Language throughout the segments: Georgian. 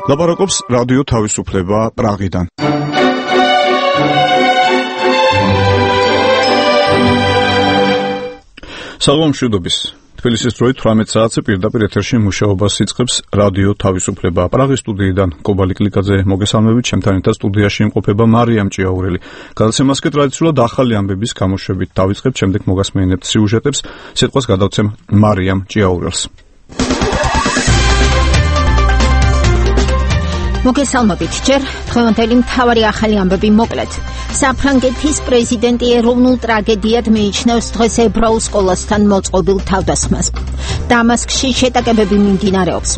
ლაპარაკობს რადიო თავისუფლება პრაღიდან. საღამომშვიდობის. თბილისის დროით 18 საათზე პირდაპირ ეთერში მუშაობას იწყებს რადიო თავისუფლება. პრაღის სტუდიიდან კობალი კლიკაძე მოგესალმებით, ჩემთან ერთად სტუდიაში იმყოფება მარიამ ჭიაურელი. გადაცემას კი ტრადიციულად ახალი ამბების გამოშვებით დავიწყებთ, შემდეგ მოგასმენებთ სიუჟეტებს. სიტყვას გადავცემ მარიამ ჭიაურელს. მოგესალმებით, ჯერ დღევანდელი მთავარი ახალი ამბები მოკლედ. საფრანგეთის პრეზიდენტი ეროვნულ ტრაგედიად მიიჩნევს დღეს ებრაულ სკოლასთან მოწყობილ თავდასხმას. დამასკში შეტაკებები მიმდინარეობს.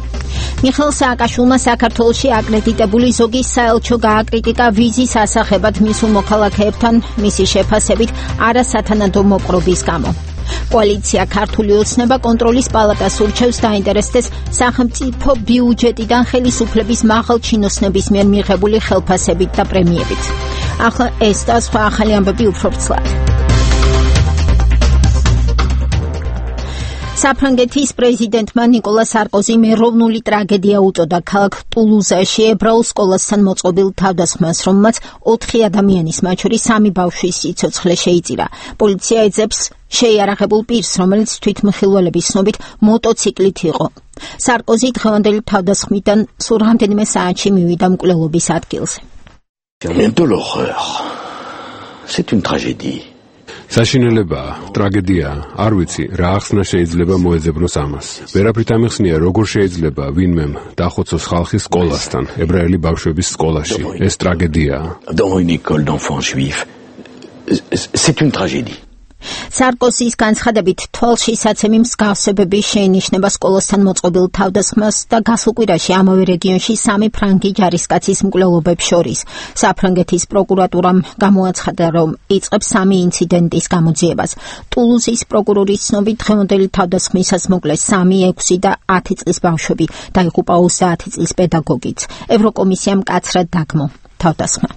მიხეილ სააკაშვილმა საქართველოში აკრედიტებული ზოგი საელჩო გააკრიტიკა ვიზის ასახებად მისულ მოქალაქეებთან მისი შეფასებით არასათანადო მოპყრობის გამო. კოალიცია ქართული ოცნება კონტროლის პალატას ურჩევს დაინტერესდეს სახელმწიფო ბიუჯეტიდან ხელისუფლების მაღალ ჩინოსნების მიერ მიღებული ხელფასებით და პრემიებით. ახლა ეს და სხვა ახალი ამბები უფრო ვრცლად. საფრანგეთის პრეზიდენტმა ნიკოლა სარკოზიმ ეროვნული ტრაგედია უწოდა ქალაქ ტულუზაში ებრაულ სკოლასთან მოწყობილ თავდასხმას, რომელმაც 4 ადამიანის, მათ შორის 3 ბავშვის სიცოცხლე შეიწირა. პოლიცია ეძებს შეიარაღებულ პირს, რომელიც თვითმხილველების ცნობით მოტოციკლით იყო. სარკოზი დღევანდელი თავდასხმიდან სულ რამდენიმე საათში მივიდა მკვლელობის ადგილზე. De l'horreur. C'est une tragédie. საშინელებაა, ტრაგედიაა, არ ვიცი, რა ახსნა შეიძლება მოეძებნოს ამას. ვერაფრით ამიხსნია, როგორ შეიძლება ვინმემ დახოცოს ხალხის სკოლასთან, ებრაელი ბავშვების სკოლაში. ეს ტრაგედიაა. Dans une école d'enfants juifs. C'est une tragédie. სარკოზის განცხადებით თვალში საცემი მსგავსებები შეინიშნება სკოლასთან მოწყობილ თავდასხმას და გასულ კვირაში ამავე რეგიონში 3 ფრანგი ჯარისკაცის მკვლელობებს შორის. საფრანგეთის პროკურატურამ გამოაცხადა, რომ იწყებს 3 ინციდენტის გამოძიებას. ტულუზის პროკურორის ცნობით დღევანდელი თავდასხმისას მოკლეს 3, 6 და 10 წლის ბავშვები, დაიღუპა 30 წლის პედაგოგიც. ევროკომისიამ მკაცრად დაგმო თავდასხმა.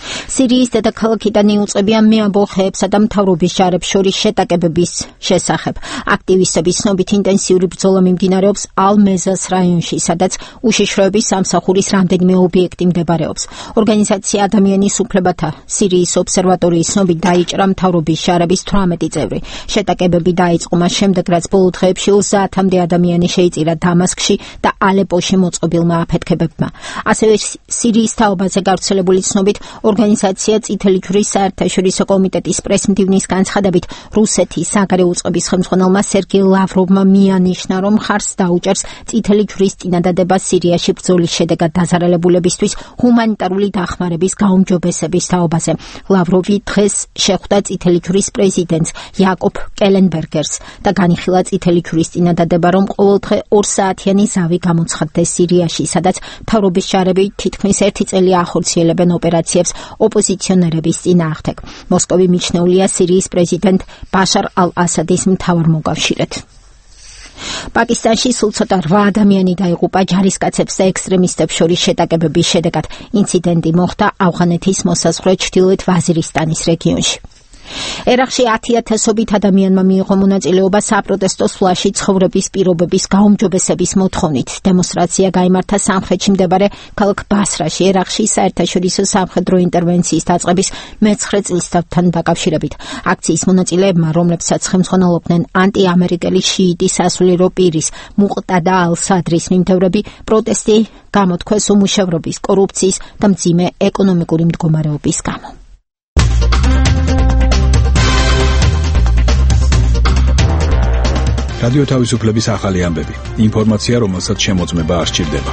სირიის დედაქალაქიდან იუწყებიან მეამბოხეებსა და მთავრობის ჯარებს შორის შეტაკებების შესახებ. აქტივისტების ცნობით ინტენსიური ბრძოლა მიმდინარეობს ალ-მეზას რაიონში, სადაც უშიშროების სამსახურის რამდენიმე ობიექტი მდებარეობს. ორგანიზაცია ადამიანის უფლებათა სირიის ობსერვატორიის ცნობით დაიჭრა მთავრობის ჯარების 18 წევრი. შეტაკებები დაიწყო მას შემდეგ, რაც ბოლო დღეებში 30-მდე ადამიანი შეიწირა დამასკში და ალეპოში მოწყობილმა აფეთქებებმა. ასევე სირიის თაობაზე გავრცელებული ცნობით ორგანიზაცია წითელი ჯვრის საერთაშორისო კომიტეტის პრესმდივნის განცხადებით რუსეთის საგარეო უწყების ხელმძღვანელმა სერგეი ლავროვმა მიანიშნა, რომ ხარს დაუჭერს წითელი ჯვრის წინადადება სირიაში ბრძოლის შედეგად დაზარალებულებისთვის ჰუმანიტარული დახმარების გაუმჯობესების თაობაზე. ლავროვი დღეს შეხვდა წითელი ჯვრის პრეზიდენტს იაკობ კელენბერგერს და განიხილა წითელი ჯვრის წინადადება, რომ ყოველდღე 2 საათიანი ზავი გამოცხადდეს სირიაში, სადაც მთავრობის ჯარები თითქმის 1 წელი ახორციელებენ ოპერაციებს ოპოზიციონერების წინააღმდეგ. მოსკოვი მიჩნეულია სირიის პრეზიდენტ ბაშარ ალ-ასადის მთავარ მოკავშირედ. პაკისტანში სულ ცოტა 8 ადამიანი დაიღუპა ჯარისკაცებს და ექსტრემისტებს შორის შეტაკებების შედეგად. ინციდენტი მოხდა ავღანეთის მოსაზღვრე ჩრდილოეთ ვაზირისტანის რეგიონში. ერაყში 10,000-ობით ადამიანმა მიიღო მონაწილეობა საპროტესტო სვლაში ცხოვრების პირობების გაუმჯობესების მოთხოვნით. დემონსტრაცია გაიმართა სამხრეთში მდებარე ქალაქ ბასრაში, ერაყში საერთაშორისო სამხედრო ინტერვენციის დაწყების მე-9 წლისთავთან დაკავშირებით. აქციის მონაწილეებმა, რომლებსაც ხელმძღვანელობდნენ ანტიამერიკელი შიიტი სასულიერო პირის მუყტადა ალ-სადრის მიმდევრები, პროტესტი გამოთქვეს უმუშევრობის, კორუფციის და მძიმე ეკონომიკური მდგომარეობის გამო. რადიო თავისუფლების ახალი ამბები. ინფორმაცია, რომელსაც შემოწმება არ სჭირდება.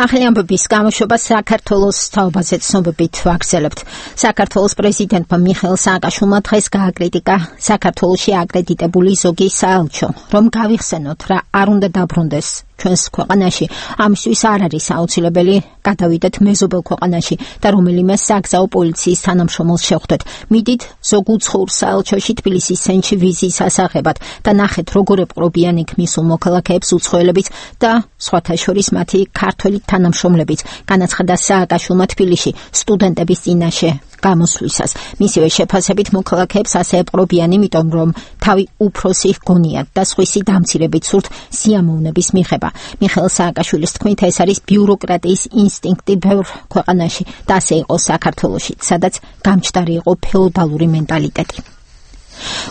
ახალი ამბების გამოშვება საქართველოს თაობაზე ცნობებით ვაგრძელებთ. საქართველოს პრეზიდენტმა მიხეილ სააკაშვილმა დღეს გააკრიტიკა საქართველოში აკრედიტებული ზოგი საელჩო, რომ გავიხსენოთ რა არ უნდა დაბრუნდეს ჩვენს ქვეყანაში. ამისთვის არ არის აუცილებელი გადავიდეთ მეზობელ ქვეყანაში და რომელიმე საგზაო პოლიციის თანამშრომელს შევხვდეთ. მიდით ზოგ უცხოურ საელჩოში თბილისის ცენტრში ვიზის ასაღებად და ნახეთ როგორ ეპყრობიან იქ მისულ მოქალაქეებს უცხოელებიც და სხვათა შორის მათი ქართველი თანამშრომლებიც, განაცხადა სააკაშვილმა თბილისში სტუდენტების წინაშე გამოსვლისას. მისივე შეფასებით მოქალაქეებს ასე ეპყრობიან, იმიტომ რომ თავი უფროსი ჰგონიათ და სხვისი დამცირებით სურთ სიამოვნების მიღება. მიხეილ სააკაშვილის თქმით, ეს არის ბიუროკრატიის ინსტინქტი ბევრ ქვეყანაში და ასე იყო საქართველოში, სადაც გამჩდარი იყო ფეოდალური მენტალიტეტი.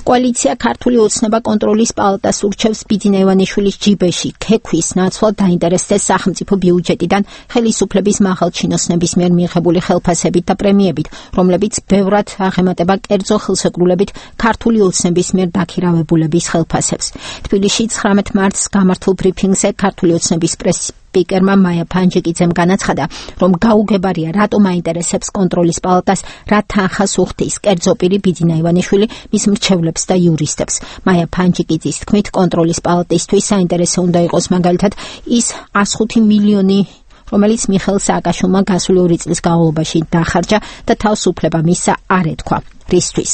კოალიცია ქართული ოცნება კონტროლის პალატას ურჩევს ბიძინა ივანიშვილის ჯიბეში ქექვის ნაცვლად დაინტერესდეს სახელმწიფო ბიუჯეტიდან ხელისუფლების მაღალჩინოსნების მიერ მიღებული ხელფასებით და პრემიებით, რომლებიც ბევრად აღემატება კერძო ხელსეკრულებით ქართული ოცნების მიერ დაქირავებულების ხელფასებს. თბილისში 19 მარტს გამართულ ბრიფინგზე ქართული ოცნების სპიკერმა მაია ფანჯიკიძემ განაცხადა, რომ გაუგებარია რატომ აინტერესებს კონტროლის პალატას რა თანხას უხდის კერძო პირი ბიძინა ივანიშვილი მის მრჩევლებს და იურისტებს. მაია ფანჯიკიძის თქმით, კონტროლის პალატისთვის საინტერესო უნდა იყოს მაგალითად ის 105 მილიონი, რომელიც მიხეილ სააკაშვილმა გასული 2 წლის განმავლობაში დახარჯა და თავისუფლება მისცა არ ეთქვა. რისთვის?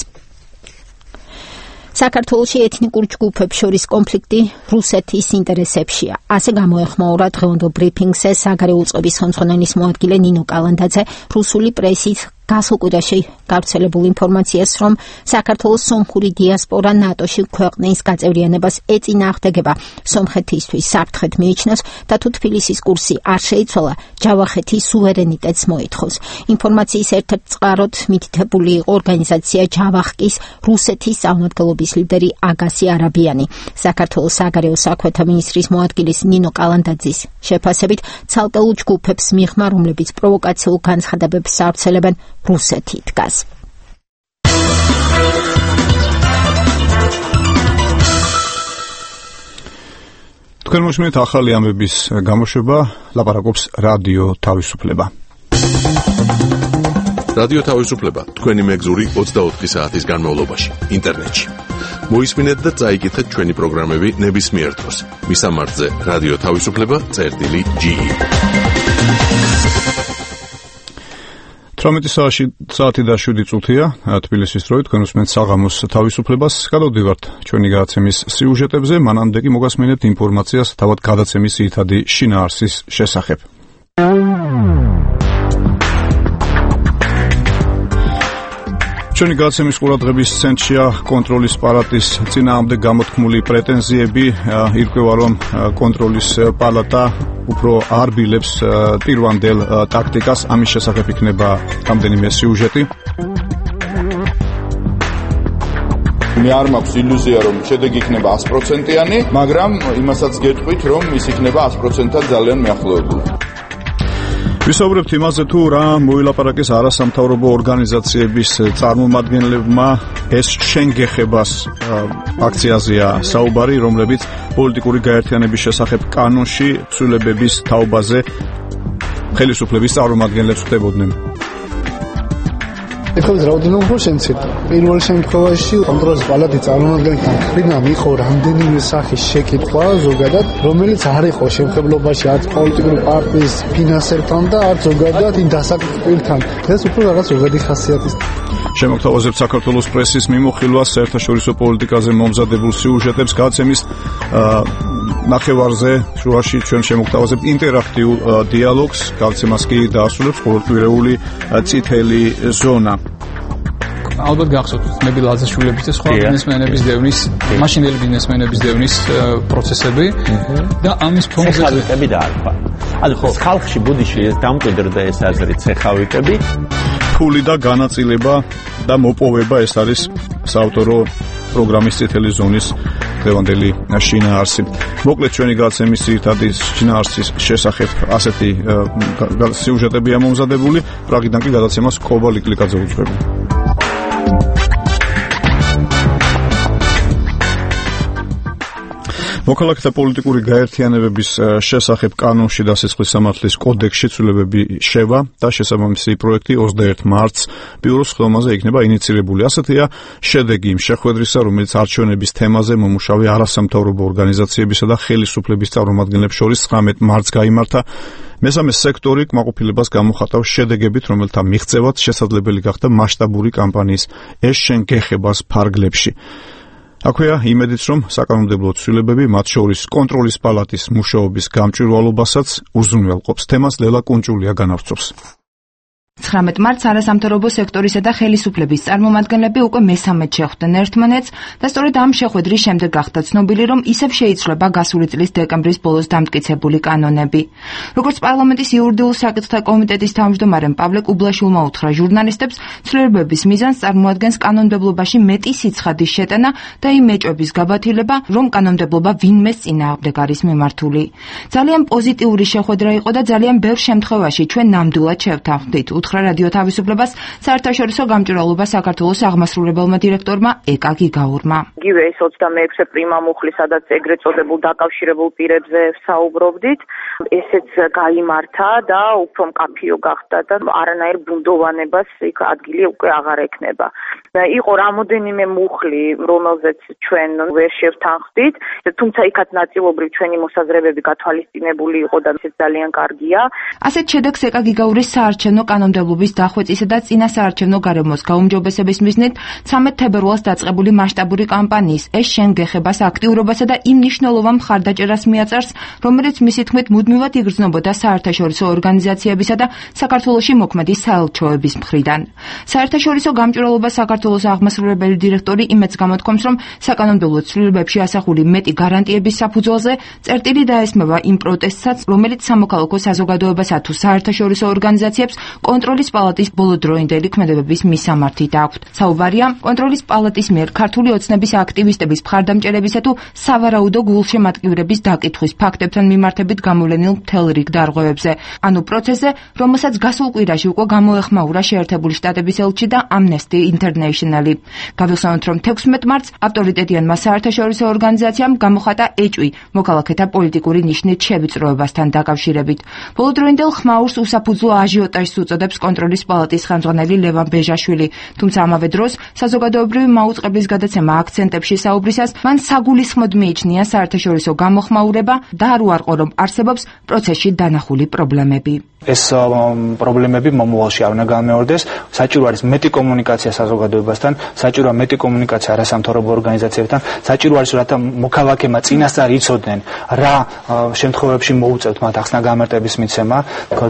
საქართველოში ეთნიკურ ჯგუფებს შორის კონფლიქტი რუსეთის ინტერესებშია. ასე გამოეხმაურა დღევანდელ ბრიფინგზე საგარეო უწყების ხელმძღვანელის მოადგილე ნინო კალანდაძე რუსული პრესით გასულ კვირაში გავრცელებულ ინფორმაციას, რომ საქართველოს სომხური დიასპორა ნატოში ქვეყნის გაწევრიანებას ეწინააღმდეგება. სომხეთისთვის საფრთხედ მიიჩნევს და თუ თბილისის კურსი არ შეიცვალა, ჯავახეთის სუვერენიტეტს მოითხოვს. ინფორმაციის ერთ-ერთ წყაროდ მითითებული იყო ორგანიზაცია ჯავახკის რუსეთის წარმომადგენლობის ლიდერი აგასი არაბიანი. საქართველოს საგარეო საქმეთა მინისტრის მოადგილის ნინო კალანდაძის შეფასებით, ცალკეულ ჯგუფებს მიღმა, რომლებიც პროვოკაციულ განცხადებებს ავრცელებენ, რუსეთი დგას. თქვენ მოშმინეთ ახალი ამბების გამოშვება, ლაპარაკობს რადიო თავისუფლება. რადიო თავისუფლება თქვენი მეგზური 24 საათის განმავლობაში ინტერნეტში. მოისმინეთ და წაიკითხეთ ჩვენი პროგრამები ნებისმიერ დროს. მისამართზე რადიო თავისუფლება.ge 18 საათი და 7 წუთია თბილისის დროით, თქვენ უსმენთ საღამოს თავისუფლებას. გადავდივართ ჩვენი გადაცემის სიუჟეტებზე, მანამდე კი მოგასმინებთ ინფორმაციას თავად გადაცემის ძირითადი შინაარსის შესახებ. ჩვენი გადაცემის ყურადღების ცენტრშია კონტროლის პალატის წინააღმდეგ გამოთქმული პრეტენზიები. ირკვევა, რომ კონტროლის პალატა უფრო არბილებს პირვანდელ ტაქტიკას. ამის შესახებ იქნება რამდენიმე სიუჟეტი. მე არ მაქვს ილუზია, რომ შედეგი იქნება 100%-იანი, მაგრამ იმასაც გეტყვით, რომ ის იქნება 100%-ად ძალიან მიახლოებული. ვისაუბრებთ იმაზე, თუ რა მოილაპარაკეს არასამთავრობო ორგანიზაციების წარმომადგენლებმა ეს შენგეხებას აქციაზეა საუბარი, რომლებიც პოლიტიკური გაერთიანების შესახებ კანონში ცვლილებების თაობაზე ხელისუფლების წარმომადგენლებს ხდებოდნენ. ეხლა რაოდენობა უფრო შემცირდა. პირველ შემთხვევაში კონტროლის პალატის წარმომადგენელთა მხრიდან იყო რამდენიმე სახის შეკითხვა ზოგადად, რომელიც არ იყო შემხებლობაში არც პოლიტიკური პარტიის ფინანსერთან და არც ზოგადად იმ დასაქმებულ პირთან. დღეს უფრო რაღაც ზოგადი ხასიათის. შემოგთავაზებთ საქართველოს პრესის მიმოხილვას საერთაშორისო პოლიტიკაზე მომზადებულ სიუჟეტებს გადაცემის ნახევარზე შუაში ჩვენ შემოგთავაზებთ ინტერაქტიულ დიალოგს. გადაცემას კი დაასრულებს ყოველკვირეული წითელი ზონა. ალბათ გახსოვთ ნები ლაზაშვილების და სხვა ბიზნესმენების დევნის, მაშინდელი ბიზნესმენების დევნის პროცესები და ამის ფონზე ცეხავიტები დაარქვა. ანუ ხალხში ბუდიში ეს დამკვიდრდა ეს აზრი ცეხავიტები. ფული და განაწილება და მოპოვება, ეს არის საავტორო პროგრამის წითელი ზონის დღევანდელი შინაარსი. მოკლედ ჩვენი გადაცემის ძირითადი შინაარსის შესახებ ასეთი სიუჟეტებია მომზადებული. პრაღიდან კი გადაცემას კობა ლიკლიკაძე უძღვება. მოქალაქეთა პოლიტიკური გაერთიანებების შესახებ კანონში დასაწყის სამართლის კოდექსში ცვლილებები შევა და შესაბამისი პროექტი 21 მარტს ბიუროს ხელმაზე იქნება ინიცირებული. ასეთია შედეგი იმ შეხვედრისა, რომელიც არჩევნების თემაზე მომუშავე არასამთავრობო ორგანიზაციებისა და ხელისუფლების წარმომადგენლებს შორის 19 მარტს გაიმართა. მესამე სექტორი კმაყოფილებას გამოხატავს შედეგებით, რომელთა მიღწევაც შესაძლებელი გახდა მასშტაბური კამპანიის ეს შენ გეხებას ფარგლებში. აქვეა იმედიც, რომ საკანონმდებლო ცვლილებები, მათ შორის კონტროლის პალატის მუშაობის გამჭვირვალობასაც უზრუნველყოფს. თემას ლელა კუნჭულია განავრცობს. 19 მარტს არასამთავრობო სექტორისა და ხელისუფლების წარმომადგენლები უკვე მესამედ შეხვდნენ ერთმანეთს და სწორედ ამ შეხვედრის შემდეგ გახდა ცნობილი, რომ ისევ შეიცვლება გასული წლის დეკემბრის ბოლოს დამტკიცებული კანონები. როგორც პარლამენტის იურიდიულ საკითხთა კომიტეტის თავმჯდომარემ პავლე კუბლაშვილმა უთხრა ჟურნალისტებს, ცვლილებების მიზანს წარმოადგენს კანონმდებლობაში მეტი სიცხადის შეტანა და იმ ეჭვების გაბათილება, რომ კანონმდებლობა ვინმეს წინააღმდეგ არის მიმართული. ძალიან პოზიტიური შეხვედრა იყო და ძალიან ბევრ შემთხვევაში ჩვენ ნამდვილად შევთანხმდით. უთხრა რადიო თავისუფლებას საერთაშორისო გამჭვირვალობა საქართველოს აღმასრულებელმა დირექტორმა ეკა გიგაურმა. იგივე ეს 26 პრიმა მუხლი, სადაც ეგრეთ წოდებულ დაკავშირებულ პირებზე საუბრობდით, ესეც გაიმართა და უფრო მკაფიო გახდა და არანაირ ბუნდოვანებას იქ ადგილი უკვე აღარ ექნება. იყო რამოდენიმე მუხლი, რომელზეც ჩვენ ვერ შევთანხმდით, თუმცა იქაც ნაწილობრივ ჩვენი მოსაზრებები გათვალისწინებული იყო და ეს ძალიან კარგია. ასეთ შედეგს ეკა გიგაურის საარჩევნო კანონმდებლობის დახვეწისა და წინა საარჩევნო გარემოს გაუმჯობესების მიზნით 13 თებერვალს დაწყებული მასშტაბური კამპანიის ეს შენ გეხებას აქტიურობასა და იმ მნიშვნელოვან მხარდაჭერას მიაწერს, რომელიც მისი თქმით მუდმივად იგრძნობოდა საერთაშორისო ორგანიზაციებისა და საქართველოში მოქმედი საელჩოების მხრიდან. საერთაშორისო გამჭვირვალობა საქართველოს აღმასრულებელი დირექტორი იმედს გამოთქვამს, რომ საკანონმდებლო ცვლილებებში ასახული მეტი გარანტიების საფუძველზე წერტილი დაესმება იმ პროტესტსაც, რომელიც სამოქალაქო საზოგადოებასა თუ საერთაშორისო ორგანიზაციებს კონტროლის პალატის ბოლოდროინდელი ქმედებების მისამართით აქვთ. საუბარია კონტროლის პალატის მიერ ქართული ოცნების აქტივისტების მხარდამჭერებისა თუ სავარაუდო გულშემატკივრების დაკითხვის ფაქტებთან მიმართებით გამოვლენილ მთელ რიგ დარღვევებზე. ანუ პროცესზე, რომელსაც გასულ კვირაში უკვე გამოეხმაურა შეერთებული შტატების ელჩი და Amnesty International-ი. გავიხსენოთ, რომ 16 მარტს ავტორიტეტიანმა საერთაშორისო ორგანიზაციამ გამოხატა ეჭვი მოქალაქეთა პოლიტიკური ნიშნით შევიწროებასთან დაკავშირებით. ბოლოდროინდელ ხმაურს უსაფუძვლო აჟიოტაჟს უწოდებს კონტროლის პალატის ხელმძღვანელი ლევან ბეჟაშვილი, თუმცა ამავე დროს საზოგადოებრივი მაუწყებლის გადაცემა აქცენტებში საუბრისას მან საგულისხმოდ მიიჩნია საერთაშორისო გამოხმაურება და არ უარყო, რომ არსებობს პროცესში დანახული პრობლემები. ეს პრობლემები მომავალში არ უნდა გამეორდეს. საჭირო არის მეტი კომუნიკაცია საზოგადოებასთან, საჭიროა მეტი კომუნიკაცია არასამთავრობო ორგანიზაციებთან, საჭირო არის რათა მოქალაქემა წინასწარ იცოდნენ რა შემთხვევებში მოუწევთ მათ ახსნა გამარტების მიცემა,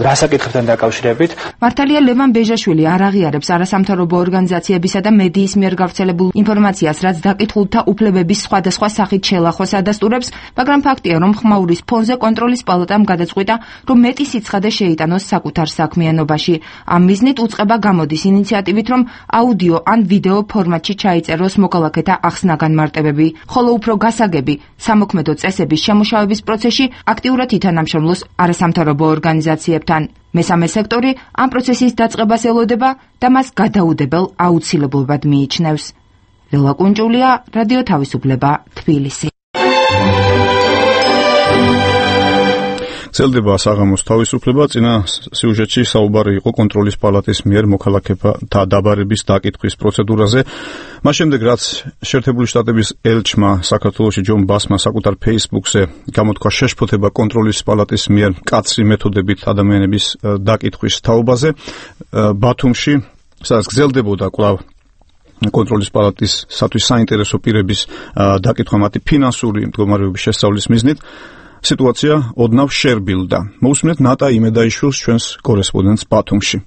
რა საკითხებთან დაკავშირებით. მართალია ლევან ბეჟაშვილი არ აღიარებს არასამთავრობო ორგანიზაციებისა და მედიის მიერ გავრცელებულ ინფორმაციას, რაც დაკითხულთა უფლებების სხვადასხვა სახით შელახოს ადასტურებს, მაგრამ ფაქტია, რომ ხმაურის ფონზე კონტროლის პალატამ გადაწყვიტა, რომ მეტი სიცხადე შეიტანოს საკუთარ საქმიანობაში. ამ მიზნით უწყება გამოდის ინიციატივით, რომ აუდიო ან ვიდეო ფორმატში ჩაიწეროს მოქალაქეთა ახსნა-განმარტებები, ხოლო უფრო გასაგები სამოქმედო წესების შემუშავების პროცესში აქტიურად ითანამშრომლოს არასამთავრობო ორგანიზაციებთან. მესამე სექტორი ამ პროცესის დაწყებას ელოდება და მას გადაუდებელ აუცილებლობად მიიჩნევს. ლელა კუნჭულია, რადიო თავისუფლება, თბილისი. გრძელდება საღამოს თავისუფლება. წინა სიუჟეტში საუბარი იყო კონტროლის პალატის მიერ მოქალაქეთა დაბარების დაკითხვის პროცედურაზე. მას შემდეგ, რაც შეერთებული შტატების ელჩმა საქართველოში ჯონ ბასმა საკუთარ Facebook-ზე გამოთქვა შეშფოთება კონტროლის პალატის მიერ მკაცრი მეთოდებით ადამიანების დაკითხვის თაობაზე, ბათუმში, სადაც გრძელდებოდა კვლავ კონტროლის პალატისათვის საინტერესო პირების დაკითხვა მათი ფინანსური მდგომარეობის შესწავლის მიზნით, სიტუაცია ოდნავ შერბილდა. მოусმინეთ ნატა იმედაიშვილს, ჩვენს კორესპონდენტს ბათუმში.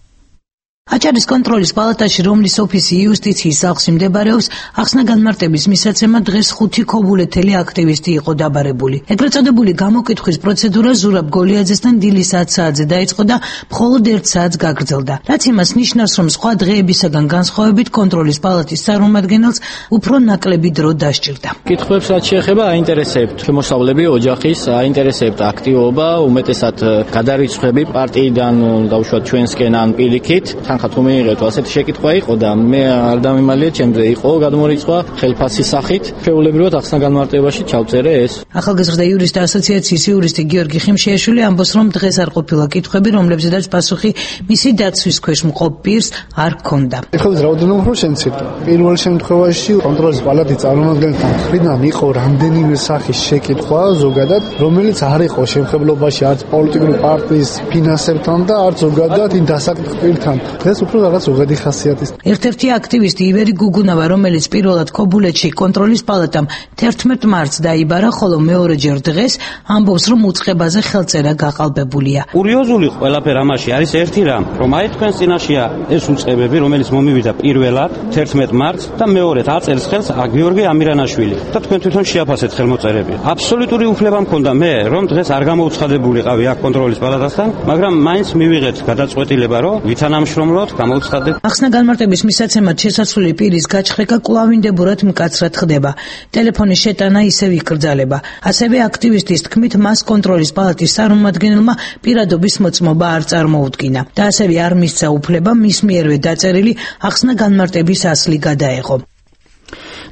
აჭარის კონტროლის პალატაში, რომლის ოფისი იუსტიციის სახლში მდებარეობს, ახსნა-განმარტების მისაცემად დღეს 5 ქობულეთელი აქტივისტი იყო დაბარებული. ეგრეთ წოდებული გამოკითხვის პროცედურა ზურაბ გოლიაძესთან დილის 10 საათზე დაიწყო და მხოლოდ 1 საათს გაგრძელდა. რაც იმას ნიშნავს, რომ სხვა დღეებისაგან განსხვავებით კონტროლის პალატის წარმომადგენელს უფრო ნაკლები დრო დასჭირდა. კითხვებს რაც შეეხება აინტერესებთ შემოსავლები ოჯახის, აინტერესებთ აქტივობა, უმეტესად გადარიცხვები პარტიიდან დავუშვათ ჩვენსკენ ან პირიქით. თანხა თუ მიიღეთ, ასეთი შეკითხვა იყო და მე არ დამიმალია ჩემზე იყო გადმორიცხვა ხელფასის სახით. შეულებრივად ახსნა განმარტებაში ჩავწერე ეს. ახალგაზრდა იურისტთა ასოციაციის იურისტი გიორგი ხიმშიაშვილი ამბობს, რომ დღეს არ ყოფილა კითხვები, რომლებზედაც პასუხი მისი დაცვის ქვეშ მყოფ პირს არ ჰქონდა. ეხლა რაოდენობა უფრო შემცირდა. პირველ შემთხვევაში კონტროლის პალატის წარმომადგენელთან მხრიდან იყო რამდენიმე სახის შეკითხვა ზოგადად, რომელიც არ იყო შემხებლობაში არც პოლიტიკური პარტიის ფინანსებთან და არც ზოგადად იმ დასაკითხ პირთან. დღეს უფრო რაღაც ზოგადი ხასიათის. ერთ-ერთი აქტივისტი ივერი გუგუნავა, რომელიც პირველად ქობულეთში კონტროლის პალატამ 11 მარტს დაიბარა, ხოლო მეორეჯერ დღეს ამბობს, რომ უწყებაზე ხელწერა გაყალბებულია. კურიოზული ყველაფერ ამაში არის ერთი რამ, რომ აი თქვენს წინაშეა ეს უწყებები, რომელიც მომივიდა პირველად 11 მარტს და მეორედ აწელს ხელს გიორგი ამირანაშვილი და თქვენ თვითონ შეაფასეთ ხელმოწერები. აბსოლუტური უფლება მქონდა მე, რომ დღეს არ გამოუცხადებულიყავი აქ კონტროლის პალატასთან, მაგრამ მაინც მივიღეთ გადაწყვეტილება, რომ ვითანამშრომლოთ, გამოუცხადეთ. ახსნა განმარტების მისაცემად შესაძლებელი პირის გაჩხრეკა კვლავინდებურად მკაცრად ხდება. ტელეფონის შეტანა ისევ იკრძალება. ასევე აქტივისტის თქმით, მას კონტროლის პალატის წარმომადგენელმა პირადობის მოწმობა არ წარმოუდგინა და ასევე არ მისცა უფლება მის მიერვე დაწერილი ახსნა განმარტების ასლი გადაეღო.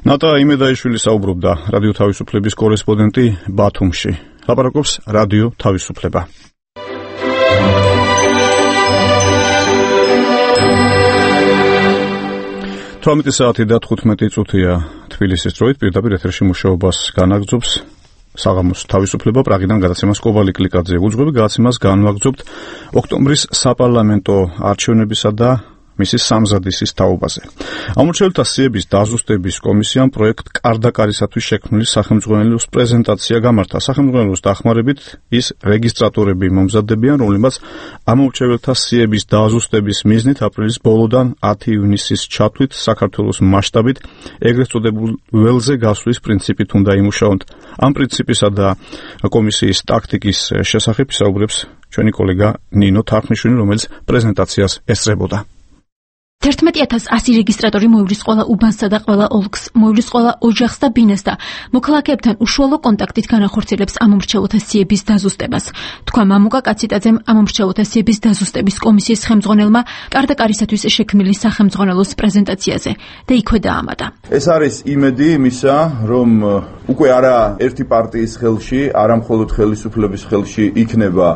ნატა იმედაიშვილი საუბრობდა რადიო თავისუფლების კორესპონდენტი ბათუმში. ლაპარაკობს რადიო თავისუფლება. საათი და 15 წუთია თბილისის დროით პირდაპირ ეთერში მუშაობას განაგრძობს საღამოს თავისუფლება პრაღიდან გადაცემას კობალი კლიკაძე. უძღვები გადაცემას განვაგრძობთ ოქტომბრის საპარლამენტო არჩევნებისა და მისი სამზადისის თაობაზე. ამორჩეულთა სიების დაზუსტების კომისიამ პროექტ კარდაკარისათვის შექმნილი სახელმძღვანელოს პრეზენტაცია გამართა. სახელმძღვანელოს დახმარებით ის რეგისტრატორები მომზადდებიან, რომლებმაც ამორჩეულთა სიების დაზუსტების მიზნით აპრილის ბოლოდან 10 ივნისის ჩათვლით საქართველოს მასშტაბით ეგრეთ წოდებულ ველზე გასვლის პრინციპით უნდა იმუშაოთ. ამ პრინციპისა და კომისიის ტაქტიკის შესახებ ისაუბრებს ჩვენი კოლეგა ნინო თარხნიშვილი, რომელიც პრეზენტაციას ესწრებოდა. 11100 რეგისტრატორი მოივლის ყველა უბანსა და ყველა ოლქს, მოივლის ყველა ოჯახს და ბინას და მოქალაქეებთან უშუალო კონტაქტით განახორციელებს ამომრჩევლთა სიების დაზუსტებას. თქვა მამუკა კაციტაძემ ამომრჩევლთა სიების დაზუსტების კომისიის ხელმძღვანელმა კარდაკარისათვის შექმნილი სახელმძღვანელოს პრეზენტაციაზე და იქვე დაამატა. ეს არის იმედი იმისა, რომ უკვე არა ერთი პარტიის ხელში, არა მხოლოდ ხელისუფლების ხელში იქნება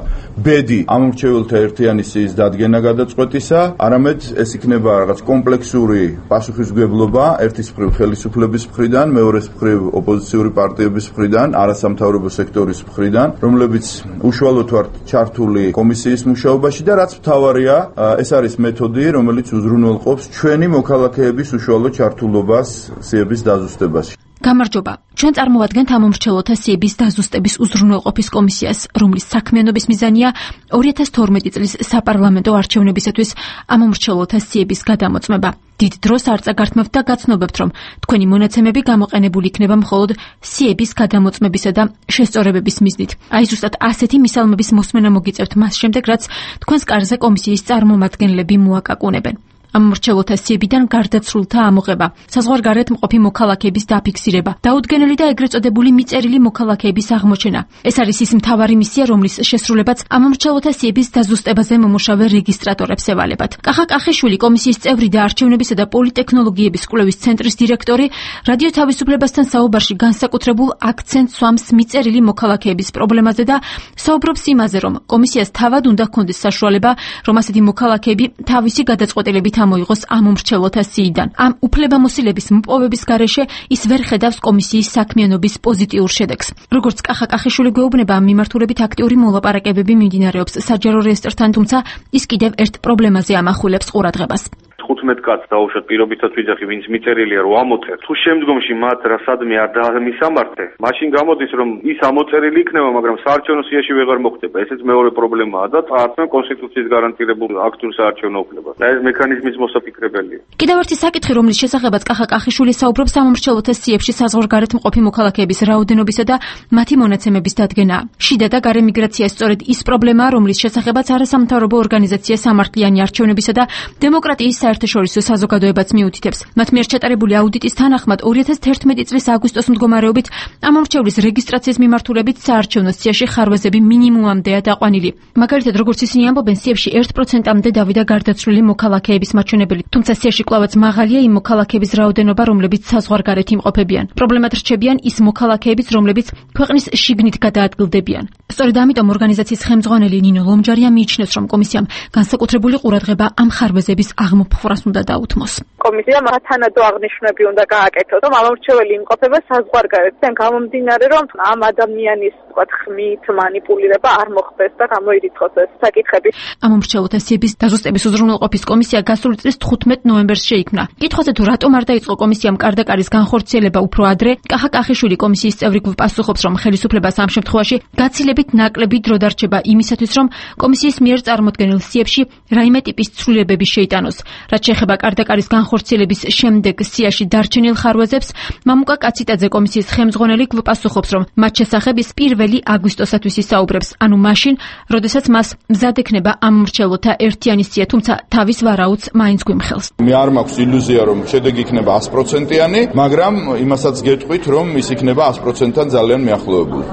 ბედი ამომრჩევლთა ერთიანი სიის დადგენა გადაწყვეტისა, არამედ ეს იქნება რაღაც კომპლექსური პასუხისმგებლობა ერთის მხრივ ხელისუფლების მხრიდან, მეორეს მხრივ ოპოზიციური პარტიების მხრიდან, არასამთავრობო სექტორის მხრიდან, რომლებიც უშუალოდ ვართ ჩართული კომისიის მუშაობაში და რაც მთავარია, ეს არის მეთოდი, რომელიც უზრუნველყოფს ჩვენი მოქალაქეების უშუალო ჩართულობას სიების დაზუსტებაში. გამარჯობა. ჩვენ წარმოვადგენთ ამომრჩევლთა სიების დაზუსტების უზრუნველყოფის კომისიას, რომლის საქმიანობის მიზანია 2012 წლის საპარლამენტო არჩევნებისათვის ამომრჩევლთა სიების გადამოწმება. დიდ დროს არ წაგართმევთ და გაცნობებთ, რომ თქვენი მონაცემები გამოყენებული იქნება მხოლოდ სიების გადამოწმებისა და შესწორებების მიზნით. აი ზუსტად ასეთი მისალმების მოსმენა მოგიწევთ მას შემდეგ, რაც თქვენს კარზე კომისიის წარმომადგენლები მოაკაკუნებენ. ამორჩევლთა სიებიდან გარდაცვლილთა ამოღება, საზღვარგარეთ მყოფი მოქალაქეების დაფიქსირება, დაუდგენელი და ეგრეთ წოდებული მიწერილი მოქალაქეების აღმოჩენა. ეს არის ის მთავარი მისია, რომლის შესრულებაც ამორჩევლთა სიების დაზუსტებაზე მომუშავე რეგისტრატორებს ევალებათ. კახა კახიშვილი, კომისიის წევრი და არჩევნებისა და პოლიტექნოლოგიების კვლევის ცენტრის დირექტორი, რადიო თავისუფლებასთან საუბარში განსაკუთრებულ აქცენტს სვამს მიწერილი მოქალაქეების პრობლემაზე და საუბრობს იმაზე, რომ კომისიას თავად უნდა ჰქონდეს საშუალება, რომ ასეთი მოქალაქეები თავისი გადაწყვეტილებით ამოიღოს ამომრჩევლთა სიიდან. ამ უფლებამოსილების მოპოვების გარეშე ის ვერ ხედავს კომისიის საქმიანობის პოზიტიურ შედეგს. როგორც კახა კახიშვილი გვეუბნება, ამ მიმართულებით აქტიური მოლაპარაკებები მიმდინარეობს საჯარო რეესტრთან, თუმცა ის კიდევ ერთ პრობლემაზე ამახვილებს ყურადღებას. 15 კაცს დაუშვათ პირობითად ვიძახი, ვინც მიწერილია რომ ამოწერ. თუ შემდგომში მათ რა სადმე არ დაამისამართე, მაშინ გამოდის რომ ის ამოწერილი იქნება, მაგრამ საარჩევნო სიაში ვეღარ მოხდება. ესეც მეორე პრობლემაა და წაართმევ კონსტიტუციის გარანტირებულ აქტურ საარჩევნო უფლებას. და ეს მექანიზმის მოსაფიქრებელია. კიდევ ერთი საკითხი, რომლის შესახებაც კახა კახიშვილი საუბრობს, ამომრჩევლთა სიებში საზღვარგარეთ მყოფი მოქალაქეების რაოდენობისა და მათი მონაცემების დადგენაა. შიდა და გარე მიგრაცია სწორედ ის პრობლემაა, რომლის შესახებაც არასამთავრობო ორგანიზაცია სამართლიანი არჩევნებისა და დემოკრატიის საერთაშორისო საზოგადოებაც მიუთითებს. მათ მიერ ჩატარებული აუდიტის თანახმად 2011 წლის აგვისტოს მდგომარეობით ამომრჩევლის რეგისტრაციის მიმართულებით საარჩევნო სიაში ხარვეზები მინიმუმამდეა დაყვანილი. მაგალითად, როგორც ისინი ამბობენ, სიებში 1%-მდე დავიდა გარდაცვლილი მოქალაქეების მაჩვენებელი, თუმცა სიაში კვლავაც მაღალია იმ მოქალაქეების რაოდენობა, რომლებიც საზღვარგარეთ იმყოფებიან. პრობლემად რჩებიან ის მოქალაქეებიც, რომლებიც ქვეყნის შიგნით გადაადგილდებიან. სწორედ ამიტომ ორგანიზაციის ხელმძღვანელი ნინო ლომჯარია მიიჩნევს, რომ კომისიამ განსაკუთრებული ყურადღება ამ ხარვეზების აღმოფხვრას უნდა დაუთმოს. კომისიამ თანადო აღნიშვნები უნდა გააკეთოს, რომ ამომრჩეველი იმყოფება საზღვარგარეთ. გამომდინარე, რომ ამ ადამიანის ხმით მანიპულირება არ მოხდეს და გამოირიცხოს ეს საკითხები. ამომრჩეველთა სიების დაზუსტების უზრუნველყოფის კომისია გასული წლის 15 ნოემბერს შეიქმნა. კითხვაზე თუ რატომ არ დაიწყო კომისიამ კარდაკარის განხორციელება უფრო ადრე, კახა კახიშვილი კომისიის წევრი პასუხობს, რომ ხელისუფლებას ამ შემთხვევაში გაცილებით ნაკლები დრო დარჩება იმისათვის, რომ კომისიის მიერ წარმოდგენილ სიებში რაიმე ტიპის ცვლილებები შეიტანოს. რაც შეეხება კარდაკარის განხორციელების შემდეგ სიაში დარჩენილ ხარვეზებს, მამუკა კაციტაძე კომისიის ხელმძღვანელი გვპასუხობს, რომ მათ შესახებ ის 1 აგვისტოსათვის ისაუბრებს, ანუ მაშინ, როდესაც მას მზად ექნება ამომრჩეველთა ერთიანი სია, თუმცა თავის ვარაუდს მაინც გვიმხელს. მე არ მაქვს ილუზია, რომ შედეგი იქნება 100%-იანი, მაგრამ იმასაც გეტყვით, რომ ის იქნება 100%-თან ძალიან მიახლოებული.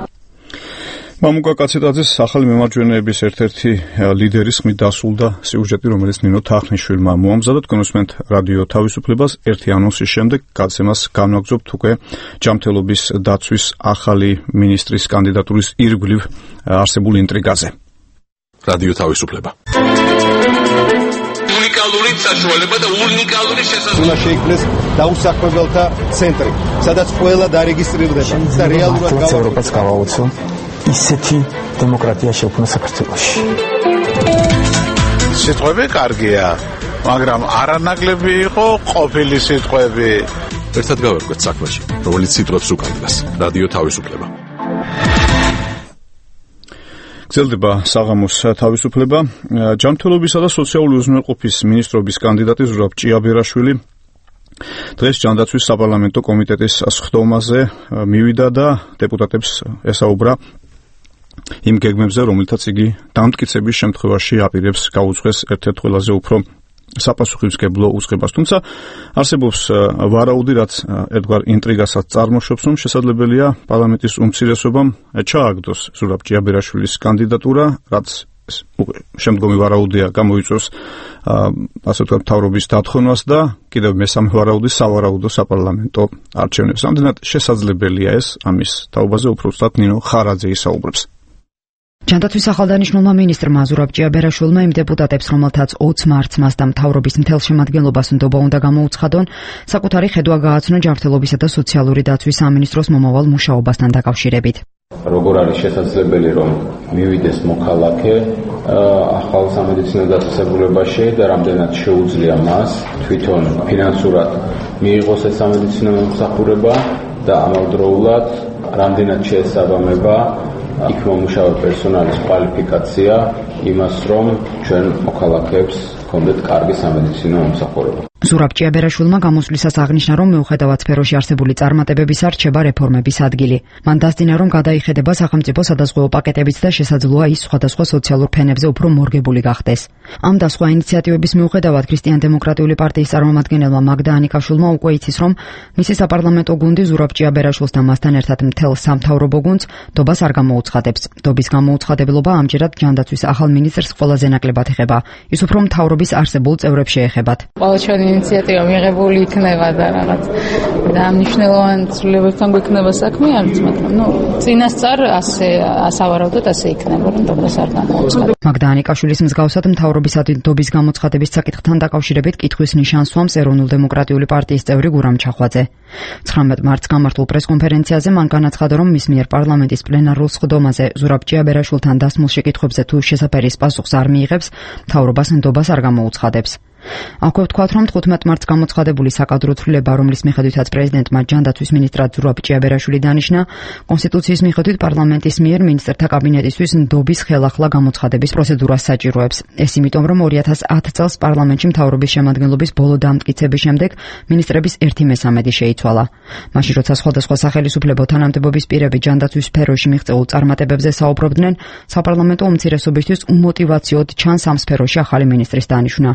მამუკა კაციტაძის ახალი მემარჯვენეების ერთ-ერთი ლიდერის ხმით დასრულდა სიუჟეტი, რომელიც ნინო თახნიშვილმა მოამზადა. თქვენ უსმენთ რადიო თავისუფლებას. ერთი ანონსის შემდეგ გაცემას განვაგრძობთ უკვე ჯანმრთელობის დაცვის ახალი მინისტრის კანდიდატურის ირგვლივ არსებულ ინტრიგაზე. რადიო თავისუფლება. უნიკალური საშუალება და უნიკალური შესაძლებლობა. უნდა შეიქმნეს დაუსაქმებელთა ცენტრი, სადაც ყველა დარეგისტრირდება და რეალურად ევროპას გავაოცო ისეთი დემოკრატია შექმნა საქართველოში. სიტყვები კარგია, მაგრამ არანაკლები იყო ყოფილი სიტყვები. ერთად გავერკვეთ საქმეში, რომელიც სიტყვებს უკანდას. რადიო თავისუფლება. გრძელდება საღამოს თავისუფლება. ჯანმრთელობისა და სოციალური უზრუნველყოფის მინისტრობის კანდიდატი ზურაბ ჭიაბერაშვილი დღეს ჯანდაცვის საპარლამენტო კომიტეტის სხდომაზე მივიდა და დეპუტატებს ესაუბრა იმ გეგმებზე, რომელთაც იგი დამტკიცების შემთხვევაში აპირებს გაუძღვეს ერთ-ერთ ყველაზე უფრო საპასუხისმგებლო უწყებას. თუმცა არსებობს ვარაუდი, რაც ერთგვარ ინტრიგასაც წარმოშობს, რომ შესაძლებელია პარლამენტის უმცირესობამ ჩააგდოს ზურაბ ჭიაბერაშვილის კანდიდატურა, რაც შემდგომი ვარაუდია გამოიწვევს ასე ვთქვათ მთავრობის დათხოვნას და კიდევ მესამე ვარაუდი სავარაუდო საპარლამენტო არჩევნებს. ამდენად შესაძლებელია ეს, ამის თაობაზე უფრო სწორად ნინო ხარაძე ისაუბრებს. ჯანდაცვის ახალდანიშნულმა მინისტრმა ზურაბ ჭიაბერაშვილმა იმ დეპუტატებს, რომელთაც 20 მარტს მას და მთავრობის მთელ შემადგენლობას ნდობა უნდა გამოუცხადონ, საკუთარი ხედვა გააცნო ჯანმრთელობისა და სოციალური დაცვის სამინისტროს მომავალ მუშაობასთან დაკავშირებით. როგორ არის შესაძლებელი, რომ მივიდეს მოქალაქე ახალ სამედიცინო დაწესებულებაში და რამდენად შეუძლია მას თვითონ ფინანსურად მიიღოს ეს სამედიცინო მომსახურება და ამავდროულად რამდენად შეესაბამება იქ მომუშავე პერსონალის კვალიფიკაცია იმას, რომ ჩვენ მოქალაქეებს ჰქონდეთ კარგი სამედიცინო მომსახურება. ზურაბ ჭიაბერაშვილმა გამოსვლისას აღნიშნა, რომ მიუხედავად სფეროში არსებული წარმატებებისა რჩება რეფორმების ადგილი. მან დასძინა, რომ გადაიხედება სახელმწიფო სადაზღვეო პაკეტებიც და შესაძლოა ის სხვადასხვა სოციალურ ფენებზე უფრო მორგებული გახდეს. ამ და სხვა ინიციატივების მიუხედავად ქრისტიან-დემოკრატიული პარტიის წარმომადგენელმა მაგდა ანიკაშვილმა უკვე იცის, რომ მისი საპარლამენტო გუნდი ზურაბ ჭიაბერაშვილს და მასთან ერთად მთელ სამთავრობო გუნდს დობას არ გამოუცხადებს. დობის გამოუცხადებლობა ამჯერად ჯანდაცვის ახალ მინისტრს ყველაზე ნაკლებად ეხება. ის უფრო მთავრობის არსებულ წევრებს შეეხებათ. ინიციატივა მიღებული იქნება და რაღაც და მნიშვნელოვანი ცვლილებებთან გვექნება საქმე არც, მაგრამ წინასწარ ასე ასავარაუდოდ ასე იქნება, რომ დობას არ გამოუცხადებს. მაგდა ანიკაშვილის მსგავსად მთავრობის დობის გამოცხადების საკითხთან დაკავშირებით კითხვის ნიშანს სვამს ეროვნულ-დემოკრატიული პარტიის წევრი გურამ ჩახვაძე. 19 მარტს გამართულ პრესკონფერენციაზე მან განაცხადა, რომ მის მიერ პარლამენტის პლენარულ სხდომაზე ზურაბ ჭიაბერაშვილთან დასმულ შეკითხვებზე თუ შესაფერის პასუხს არ მიიღებს, მთავრობას ნდობას არ გამოუცხადებს. აქვე ვთქვათ, რომ 15 მარტს გამოცხადებული საკადრო ცვლილება, რომლის მიხედვითაც პრეზიდენტმა ჯანდაცვის მინისტრად ზურაბ ჭიაბერაშვილი დანიშნა, კონსტიტუციის მიხედვით პარლამენტის მიერ მინისტრთა კაბინეტისთვის ნდობის ხელახლა გამოცხადების პროცედურას საჭიროებს. ეს იმიტომ, რომ 2010 წელს პარლამენტში მთავრობის შემადგენლობის ბოლო დამტკიცების შემდეგ მინისტრების 1/3 შეიცვალა. მაშინ, როცა სხვადასხვა სახელისუფლებო თანამდებობის პირები ჯანდაცვის სფეროში მიღწეულ წარმატებებზე საუბრობდნენ, საპარლამენტო უმცირესობისთვის უმოტივაციოდ ჩანს ამ სფეროში ახალი მინისტრის დანიშვნა.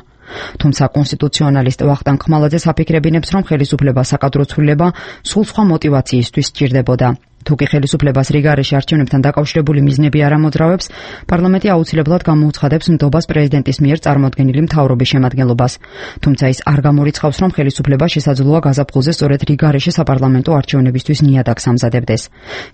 თუმცა კონსტიტუციონალისტ ვახტანგ ხმალაძე საფიქრებინებს, რომ ხელისუფლება საკადრო ცვლილება სულ სხვა мотиваციისთვის სჭირდებოდა. თუკი ხელისუფლებას რიგარეში არჩევნებთან დაკავშირებული მიზნები არ ამოძრავებს, პარლამენტი აუცილებლად გამოუცხადებს ნდობას პრეზიდენტის მიერ წარმოადგენილი მთავრობის შემადგენლობას. თუმცა ის არ გამორიცხავს, რომ ხელისუფლება შესაძლოა გაზაფხულზე სწორედ რიგარეში საპარლამენტო არჩევნებისთვის ნიადაგს ამზადებდეს.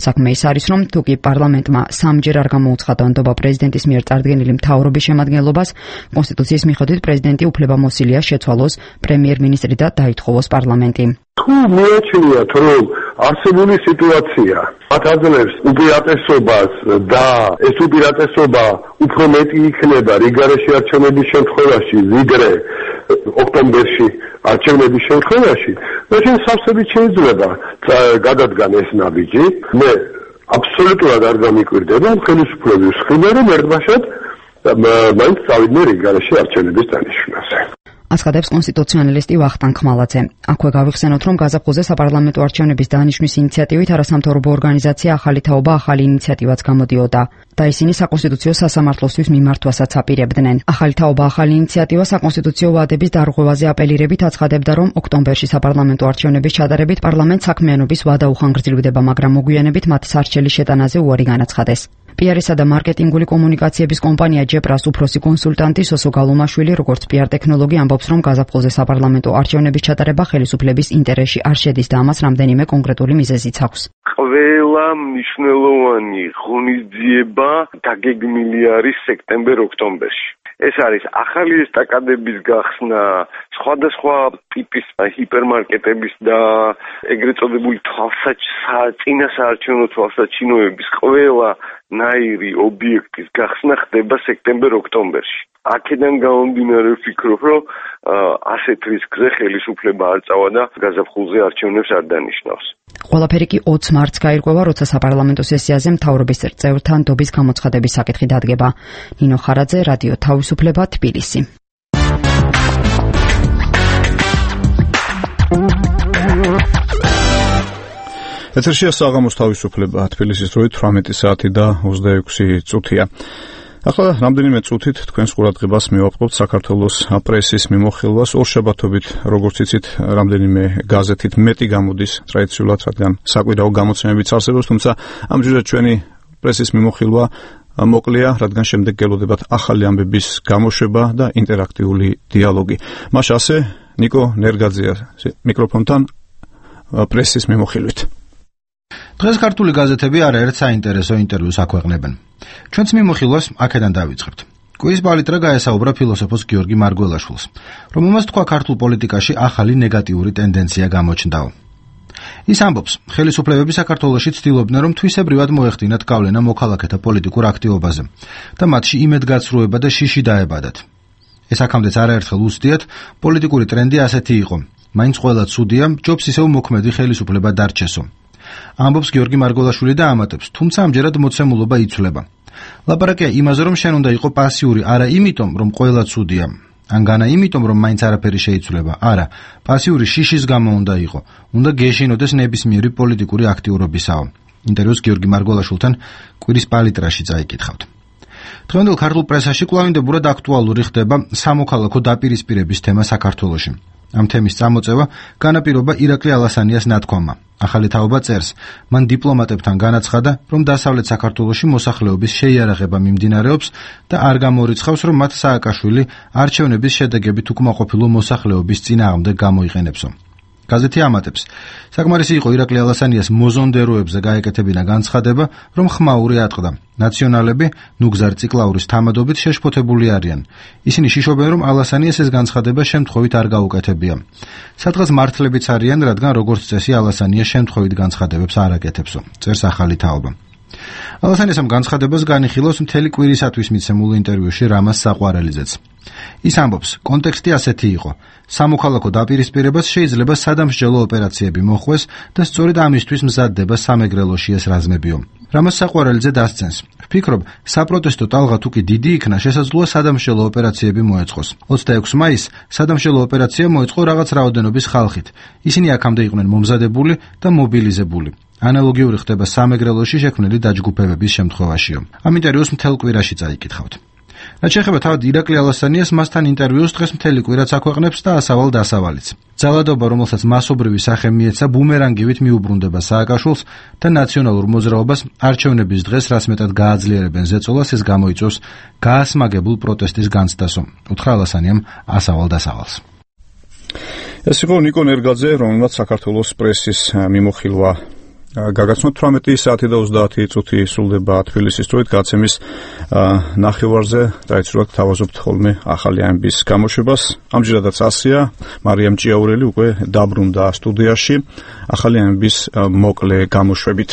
საქმე ის არის, რომ თუკი პარლამენტმა სამჯერ არ გამოუცხადა ნდობა პრეზიდენტის მიერ წარდგენილი მთავრობის შემადგენლობას, კონსტიტუციის მიხედვით პრეზიდენტი უფლებამოსილია შეცვალოს პრემიერ-მინისტრი და დაითხოვოს პარლამენტი. თუ მიაჩნიათ, რომ არსებული სიტუაცია აძლევს უპირატესობას და ეს უპირატესობა უფრო მეტი იქნება რიგარეში არჩევნების შემთხვევაში, ვიდრე ოქტომბერში არჩევნების შემთხვევაში, მაშინ სავსებით შეიძლება გადადგან ეს ნაბიჯი. მე აბსოლუტურად არ გამიკვირდება ხელისუფლების მხრიდან, რომ ერთბაშად მაინც წავიდნენ რიგარეში არჩევნების დანიშვნაზე. აცხადებს კონსტიტუციონალისტი ვახტანგ ხმალაძე. აქვე გავიხსენოთ, რომ გაზაფხულზე საპარლამენტო არჩევნების დანიშვნის ინიციატივით არასამთავრობო ორგანიზაცია ახალი თაობა ახალი ინიციატივაც გამოდიოდა და ისინი საკონსტიტუციო სასამართლოსთვის მიმართვასაც აპირებდნენ. ახალი თაობა ახალი ინიციატივა საკონსტიტუციო ვადების დარღვევაზე აპელირებით აცხადებდა, რომ ოქტომბერში საპარლამენტო არჩევნების ჩატარებით პარლამენტ საქმიანობის ვადა უხანგრძლივდება, მაგრამ მოგვიანებით მათ სარჩელის შეტანაზე უარი განაცხადეს. PR-ისა და მარკეტინგული კომუნიკაციების კომპანია ჯეპრას უფროსი კონსულტანტი სოსო გალომაშვილი, როგორც PR ტექნოლოგი, ამბობს, რომ გაზაფხულზე საპარლამენტო არჩევნების ჩატარება ხელისუფლების ინტერესში არ შედის და ამას რამდენიმე კონკრეტული მიზეზიც აქვს. ყველა მნიშვნელოვანი ღონისძიება დაგეგმილი არის სექტემბერ-ოქტომბერში. ეს არის ახალი ესტაკადების გახსნა, სხვადასხვა ტიპის ჰიპერმარკეტების და ეგრეთ წოდებული წინასაარჩევნო თვალსაჩინოების ყველა ნაირი ობიექტის გახსნა ხდება სექტემბერ-ოქტომბერში. აქედან გამომდინარე ვფიქრობ, რომ ასეთ რისკზე ხელისუფლება არ წავა და გაზაფხულზე არჩევნებს არ დანიშნავს. ყველაფერი კი 20 მარტს გაირკვევა, როცა საპარლამენტო სესიაზე მთავრობის წევრთა ნდობის გამოცხადების საკითხი დადგება. ნინო ხარაძე, რადიო თავისუფლება, თბილისი. ეთერშია საღამოს თავისუფლება, თბილისის დროით 18 საათი და 26 წუთია. ახლა რამდენიმე წუთით თქვენს ყურადღებას მივაყრობთ საქართველოს პრესის მიმოხილვას. ორშაბათობით, როგორც იცით, რამდენიმე გაზეთით მეტი გამოდის ტრადიციულად, რადგან საკვირაო გამოცემებიც არსებობს, თუმცა ამჯერად ჩვენი პრესის მიმოხილვა მოკლეა, რადგან შემდეგ გელოდებათ ახალი ამბების გამოშვება და ინტერაქტიული დიალოგი. მაშ ასე ნიკო ნერგაძეა მიკროფონთან პრესის მიმოხილვით. დღეს ქართული გაზეთები არაერთ საინტერესო ინტერვიუს აქვეყნებენ. ჩვენც მიმოხილვას აქედან დავიწყებთ. კვირის პალიტრა გაესაუბრა ფილოსოფოს გიორგი მარგველაშვილს, რომელმაც თქვა ქართულ პოლიტიკაში ახალი ნეგატიური ტენდენცია გამოჩნდაო. ის ამბობს, ხელისუფლებები საქართველოში ცდილობდნენ, რომ თვისებრივად მოეხდინათ გავლენა მოქალაქეთა პოლიტიკურ აქტივობაზე და მათში იმედგაცრუება და შიში დაებადათ. ეს აქამდეც არაერთხელ უსდიათ, პოლიტიკური ტრენდი ასეთი იყო. მაინც ყველა ცუდია, ჯობს ისევ მოქმედი ხელისუფლება დარჩესო. ამბობს გიორგი მარგველაშვილი და ამატებს, თუმცა ამჯერად მოცემულობა იცვლება. ლაპარაკია იმაზე, რომ შენ უნდა იყო პასიური, არა იმიტომ, რომ ყველა ცუდია. ან განა იმიტომ, რომ მაინც არაფერი შეიცვლება. არა, პასიური შიშის გამო უნდა იყო. უნდა გეშინოდეს ნებისმიერი პოლიტიკური აქტიურობისაო. ინტერვიუს გიორგი მარგველაშვილთან კვირის პალიტრაში წაიკითხავთ. დღევანდელ ქართულ პრესაში კვლავინდებურად აქტუალური ხდება სამოქალაქო დაპირისპირების თემა საქართველოში. ამ თემის წამოწევა განაპირობა ირაკლი ალასანიას ნათქვამმა. ახალი თაობა წერს, მან დიპლომატებთან განაცხადა, რომ დასავლეთ საქართველოში მოსახლეობის შეიარაღება მიმდინარეობს და არ გამორიცხავს, რომ მათ სააკაშვილი არჩევნების შედეგებით უკმაყოფილო მოსახლეობის წინააღმდეგ გამოიყენებსო. გაზეთი ამატებს, საკმარისი იყო ირაკლი ალასანიას მოზონდეროებზე გაეკეთებინა განცხადება, რომ ხმაური ატყდა. ნაციონალები ნუგზარ ციკლაურის თამადობით შეშფოთებული არიან. ისინი შიშობენ, რომ ალასანიას ეს განცხადება შემთხვევით არ გაუკეთებია. სადღაც მართლებიც არიან, რადგან როგორც წესი ალასანია შემთხვევით განცხადებებს არ აკეთებსო. წერს ახალი თაობა. ალასანიას ამ განცხადებას განიხილავს მთელი კვირისათვის მიცემულ ინტერვიუში რამაზ საყვარელიძეც. ის ამბობს, კონტექსტი ასეთი იყო. სამოქალაქო დაპირისპირებას შეიძლება სადამსჯელო ოპერაციები მოხვეს და სწორედ ამისთვის მზადდება სამეგრელოში ეს რაზმებიო. რამაზ საყვარელიძე დასცენს. ვფიქრობ, საპროტესტო ტალღა თუ კი დიდი იქნა, შესაძლოა სადამსჯელო ოპერაციები მოეწყოს. 26 მაისს სადამსჯელო ოპერაცია მოეწყო რაღაც რაოდენობის ხალხით. ისინი აქამდე იყვნენ მომზადებული და მობილიზებული. ანალოგიური ხდება სამეგრელოში შექმნილი დაჯგუფებების შემთხვევაშიო. ამ ინტერვიუს მთელ კვირაში წაიკითხავთ. რაც შეეხება თავად ირაკლი ალასანიას, მასთან ინტერვიუს დღეს მთელი კვირაც აქვეყნებს და ასავალ დასავალიც. ძალადობა, რომელსაც მასობრივი სახე მიეცა, ბუმერანგივით მიუბრუნდება სააკაშვილს და ნაციონალურ მოძრაობას არჩევნების დღეს რაც მეტად გააძლიერებენ ზეწოლას, ეს გამოიწვევს გაასმაგებულ პროტესტის განცდასო. უთხრა ალასანიამ ასავალ დასავალს. ეს იყო ნიკო ნერგაძე, რომელმაც საქართველოს პრესის მიმოხილვა გაგაცნო. 18 საათი და 30 წუთი სრულდება თბილისის დროით გაცემის ნახევარზე. ტრადიციულად თავაზობთ ხოლმე ახალი ამბის გამოშვებას. ამჯერადაც ასია, მარიამ ჭიაურელი უკვე დაბრუნდა სტუდიაში ახალი ამბის მოკლე გამოშვებით.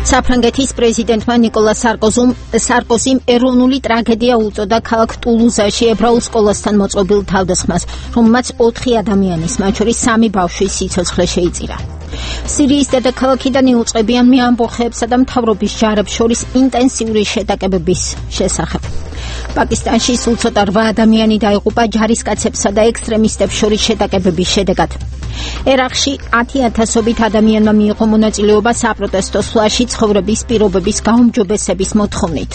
საფრანგეთის პრეზიდენტმა ნიკოლა სარკოზიმ ეროვნული ტრაგედია უწოდა ქალაქ ტულუზაში ებრაულ სკოლასთან მოწყობილ თავდასხმას, რომელმაც 4 ადამიანის, მათ შორის 3 ბავშვის სიცოცხლე შეიწირა. სირიის დედაქალაქიდან იუწყებიან ამბოხებსა და მთავრობის ჯარებს შორის ინტენსიური შეტაკებების შესახებ. პაკისტანში სულ ცოტა 8 ადამიანი დაიღუპა ჯარისკაცებსა და ექსტრემისტებს შორის შეტაკებების შედეგად. ერაყში 10,000-ობით ადამიანმა მიიღო მონაწილეობა საპროტესტო სვლაში ცხოვრების პირობების გაუმჯობესების მოთხოვნით.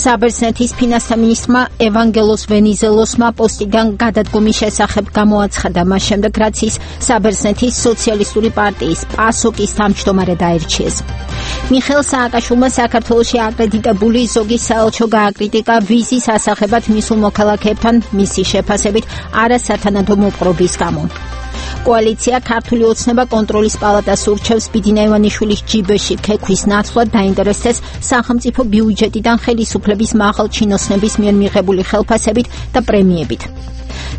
საბერძნეთის ფინანსთა მინისტრმა ევანგელოს ვენიზელოსმა პოსტიდან გადადგომის შესახებ გამოაცხადა მას შემდეგ, რაც ის საბერძნეთის სოციალისტური პარტიის პასოკის თავმჯდომარედ აირჩიეს. მიხეილ სააკაშვილმა საქართველოში აკრედიტებული ზოგი საელჩო გააკრიტიკა ვიზის ასახებად მისულ მოქალაქეებთან მისი შეფასებით არასათანადო მოპყრობის გამო. კოალიცია ქართული ოცნება კონტროლის პალატას ურჩევს ბიძინა ივანიშვილის ჯიბეში ქეკვის ნაცვლად დაინტერესდეს სახელმწიფო ბიუჯეტიდან ხელისუფლების მაღალ ჩინოსნების მიერ მიღებული ხელფასებით და პრემიებით.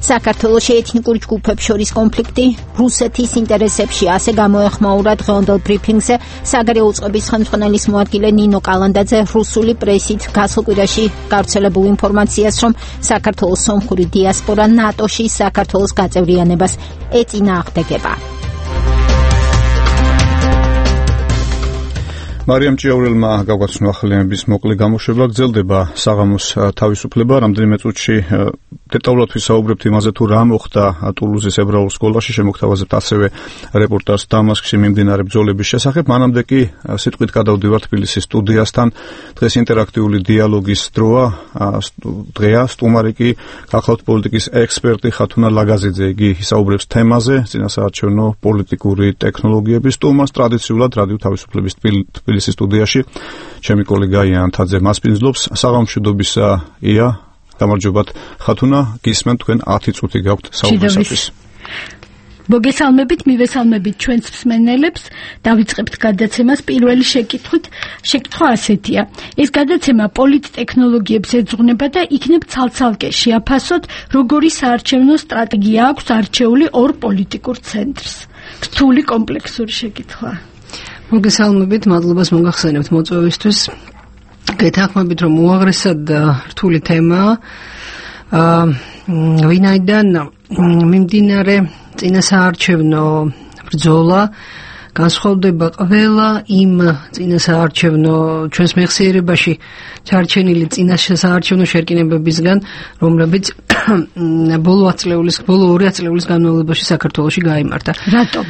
საქართველოში ეთნიკურ ჯგუფებს შორის კონფლიქტი რუსეთის ინტერესებში, ასე გამოეხმაურა დღევანდელ ბრიფინგზე საგარეო უწყების ხელმძღვანელის მოადგილე ნინო კალანდაძე რუსული პრესით გასულ კვირაში გავრცელებულ ინფორმაციას, რომ საქართველოს სომხური დიასპორა ნატოში საქართველოს გაწევრიანებას ეწინააღმდეგება. მარიამ ჭიაურელმა გავგაცნო ახალი ამბის მოკლე გამოშვება. გრძელდება საღამოს თავისუფლება. რამდენიმე წუთში დეტალურად ვისაუბრებთ იმაზე, თუ რა მოხდა ტულუზის ებრაულ სკოლაში. შემოგთავაზებთ ასევე რეპორტაჟს დამასკში მიმდინარე ბრძოლების შესახებ. მანამდე კი სიტყვით გადავდივართ თბილისის სტუდიასთან. დღეს ინტერაქტიული დიალოგის დროა. დღეა სტუმარი კი გახლავთ პოლიტიკის ექსპერტი ხათუნა ლაგაზიძე. იგი ისაუბრებს თემაზე წინასაარჩევნო პოლიტიკური ტექნოლოგიების სტუმარს ტრადიციულად რადიო თავისუფლების თბილისის სტუდიაში ჩემი კოლეგა იან თაძე მასპინძლობს. საღამოშვიდობისა ია, გამარჯობათ ხათუნა, გისმენთ თქვენ 10 წუთი გაქვთ საუბრისათვის. მოგესალმებით, მივესალმებით ჩვენს მსმენელებს. დავიწყებთ გადაცემას პირველი შეკითხვა ასეთია. ეს გადაცემა პოლიტტექნოლოგიებს ეძღვნება და იქნებ ცალ-ცალკე შეაფასოთ, როგორი საარჩევნო სტრატეგია აქვს არჩეული ორ პოლიტიკურ ცენტრს. რთული კომპლექსური შეკითხვა. მოგესალმებით, მადლობას მოგახსენებთ მოწვევისთვის. გეთანხმებით, რომ უაღრესად რთული თემაა. ვინაიდან მიმდინარე წინასაარჩევნო ბრძოლა განსხვავდება ყველა იმ წინასაარჩევნო ჩვენს მეხსიერებაში ჩარჩენილი წინასაარჩევნო შერკინებებისგან, რომლებიც ბოლო 2 ათწლეულის განმავლობაში საქართველოში გაიმართა. რატომ?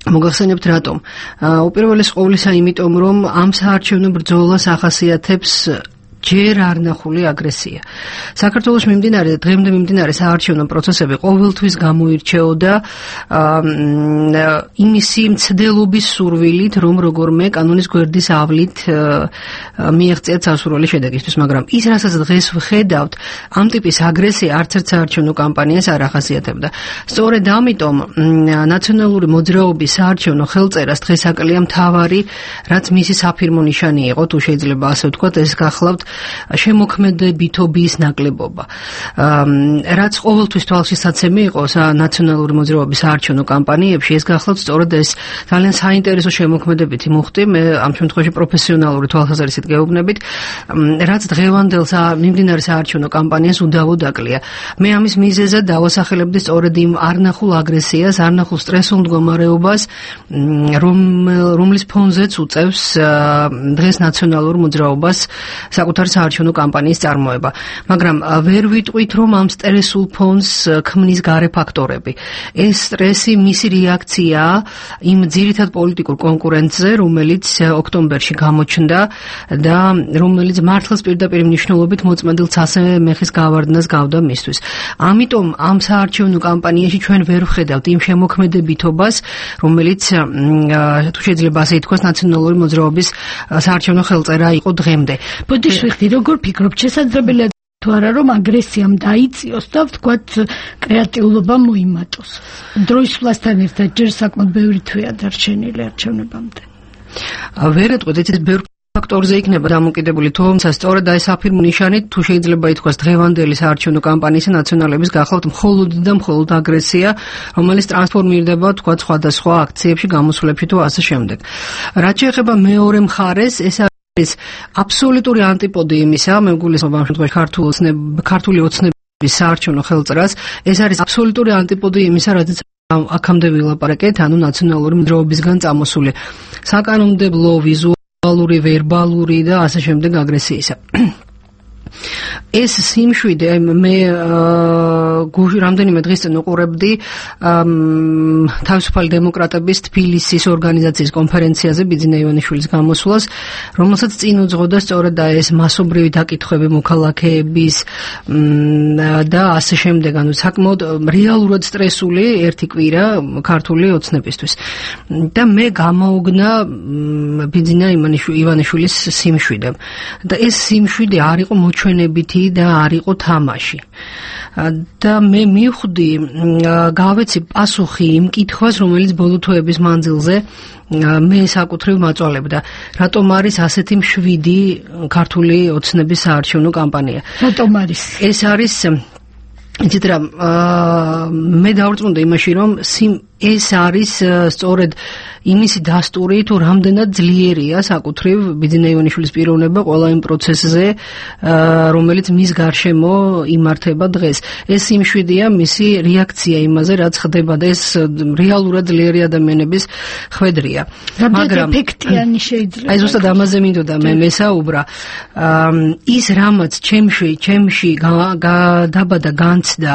მოგახსენებთ რატომ? უპირველეს ყოვლისა იმიტომ, რომ ამ საარჩევნო ბრძოლას ახასიათებს ჯერ არ ნახული აგრესია. საქართველოს დღემდე მიმდინარე საარჩევნო პროცესები ყოველთვის გამოირჩეოდა იმისი მცდელობის სურვილით, რომ როგორმე კანონის გვერდის ავლით მიეღწიათ სასურველი შედეგისთვის, მაგრამ ის, რასაც დღეს ვხედავთ, ამ ტიპის აგრესია არც ერთ საარჩევნო კამპანიას არ ახასიათებდა. სწორედ ამიტომ ნაციონალური მოძრაობის საარჩევნო ხელწერას დღეს აკლია მთავარი, რაც მისი საფირმო ნიშანი იყო, თუ შეიძლება ასე ვთქვათ, ეს გახლავთ შემოქმედებითობის ნაკლებობა. რაც ყოველთვის თვალშისაცემი იყო ნაციონალური მოძრაობის საარჩევნო კამპანიებში, ეს გახლავთ სწორედ ეს ძალიან საინტერესო შემოქმედებითი მუხტი, მე ამ შემთხვევაში პროფესიონალური თვალსაზრისით გეუბნებით, რაც დღევანდელ მიმდინარე საარჩევნო კამპანიას უდავოდ აკლია. მე ამის მიზეზად დავასახელებდი სწორედ იმ არნახულ აგრესიას, არნახულ სტრესულ მდგომარეობას, რომლის ფონზეც უწევს დღეს ნაციონალურ მოძრაობას საკუთარ არის საარჩევნო კამპანიის წარმოება. მაგრამ ვერ ვიტყვით, რომ ამ სტრესულ ფონს ქმნის გარე ფაქტორები. ეს სტრესი მისი რეაქცია იმ ძირითად პოლიტიკურ კონკურენტზე, რომელიც ოქტომბერში გამოჩნდა და რომელიც მართლაც პირდაპირ მნიშვნელობით მოწმენდილ ცასე მეხის გავარდნას გავდა მისთვის. ამიტომ ამ საარჩევნო კამპანიაში ჩვენ ვერ ვხედავთ იმ შემოქმედებითობას, რომელიც თუ შეიძლება ასე ითქვას ნაციონალური მოძრაობის საარჩევნო ხელწერა იყო დღემდე. ბოდიშვიხტი, როგორ ფიქრობთ, შესაძლებელია თუ არა რომ აგრესიამ დაიწიოს და ვთქვათ კრეატიულობა მოიმატოს. დროის სვლასთან ერთად ჯერ საკმაოდ ბევრი თვეა დარჩენილი არჩევნებამდე. ვერ ეტყვით, ეს ბევრი ფაქტორზე იქნება დამოკიდებული, თუმცა სწორედ ეს აფირმო ნიშანით თუ შეიძლება ითქვას დღევანდელი საარჩევნო კამპანიის ნაციონალების გახლავთ მხოლოდ და მხოლოდ აგრესია, რომელიც ტრანსფორმირდება თქვა სხვადასხვა აქციებში, გამოსვლებში თუ ასე შემდეგ. რაც შეეხება მეორე მხარეს, ეს არის აბსოლუტური ანტიპოდი იმისა, მე გულისხმობ ამ შემთხვევაში ქართული ოცნების საარჩევნო ხელწერას, ეს არის აბსოლუტური ანტიპოდი იმისა, რადგან აქამდე ვილაპარაკეთ, ანუ ნაციონალური მოძრაობისგან წამოსული საკანონმდებლო ვიზუალური, ვერბალური და ასე შემდეგ აგრესიისა. ეს სიმშვიდე მე რამდენიმე დღის წინ უყურებდი თავისუფალი დემოკრატების თბილისის ორგანიზაციის კონფერენციაზე ბიძინა ივანიშვილის გამოსვლას, რომელსაც წინ უძღოდა სწორედ ეს მასობრივი დაკითხვები მოქალაქეების და ასე შემდეგ, ანუ საკმაოდ რეალურად სტრესული ერთი კვირა ქართული ოცნებისთვის. და მე გამოუგნა ბიძინა ივანიშვილის სიმშვიდე. და ეს სიმშვიდე არ იყო მოჩვენებითი და არ იყო თამაში. და მე მივხვდი, გავეცი პასუხი იმ კითხვას, რომელიც ბოლო თვეების მანძილზე მე საკუთრივ მაწვალებდა. რატომ არის ასეთი მშვიდი ქართული ოცნების საარჩევნო კამპანია? რატომ არის? ეს არის იცით რა, მე დავრწმუნდა იმაში, რომ ეს არის სწორედ იმისი დასტური, თუ რამდენად ძლიერია საკუთრივ ბიძინა ივანიშვილის პიროვნება ყველა იმ პროცესზე, რომელიც მის გარშემო იმართება დღეს. ეს სიმშვიდეა მისი რეაქცია იმაზე, რაც ხდება და ეს რეალურად ძლიერი ადამიანების ხვედრია. მაგრამ ეფექტიანი შეიძლება. აი ზუსტად ამაზე მინდოდა მე მესაუბრა. ის რამაც ჩემში გადაბადა განცდა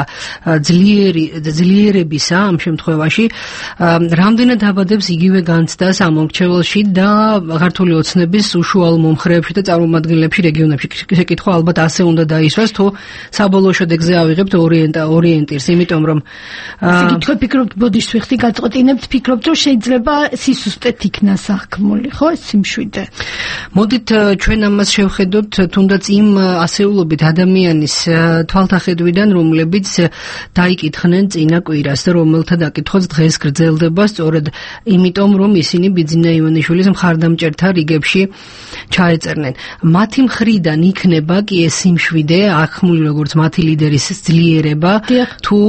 ძლიერებისა ამ შემთხვევაში, რამდენად დაბადებს იგივე განცდას ამ მომრჩეველში და ქართული ოცნების უშუალო მომხრეებში და წარმომადგენლებში რეგიონებში. შეკითხვა ალბათ ასე უნდა დაისვას, თუ საბოლოო შედეგზე ავიღებთ ორიენტირს, იმიტომ რომ შეკითხვა ფიქრობთ, ბოდიშვიხტი გაწყვეტინებთ, ფიქრობთ, რომ შეიძლება სისუსტეთ იქნა სახქმული, ხო, ეს სიმშვიდე. მოდით ჩვენ ამას შევხედოთ თუნდაც იმ ასეულობით ადამიანის თვალთახედვიდან, რომლებიც დაიკითხნენ წინა კვირას და რომელთა დაკითხვაც დღეს გრძელდება სწორედ იმიტომ, რომ ისინი ბიძინა ივანიშვილის მხარდამჭერთა რიგებში ჩაეწერნენ. მათი მხრიდან იქნება კი ეს სიმშვიდე, ახმული როგორც მათი ლიდერის ძლიერება, თუ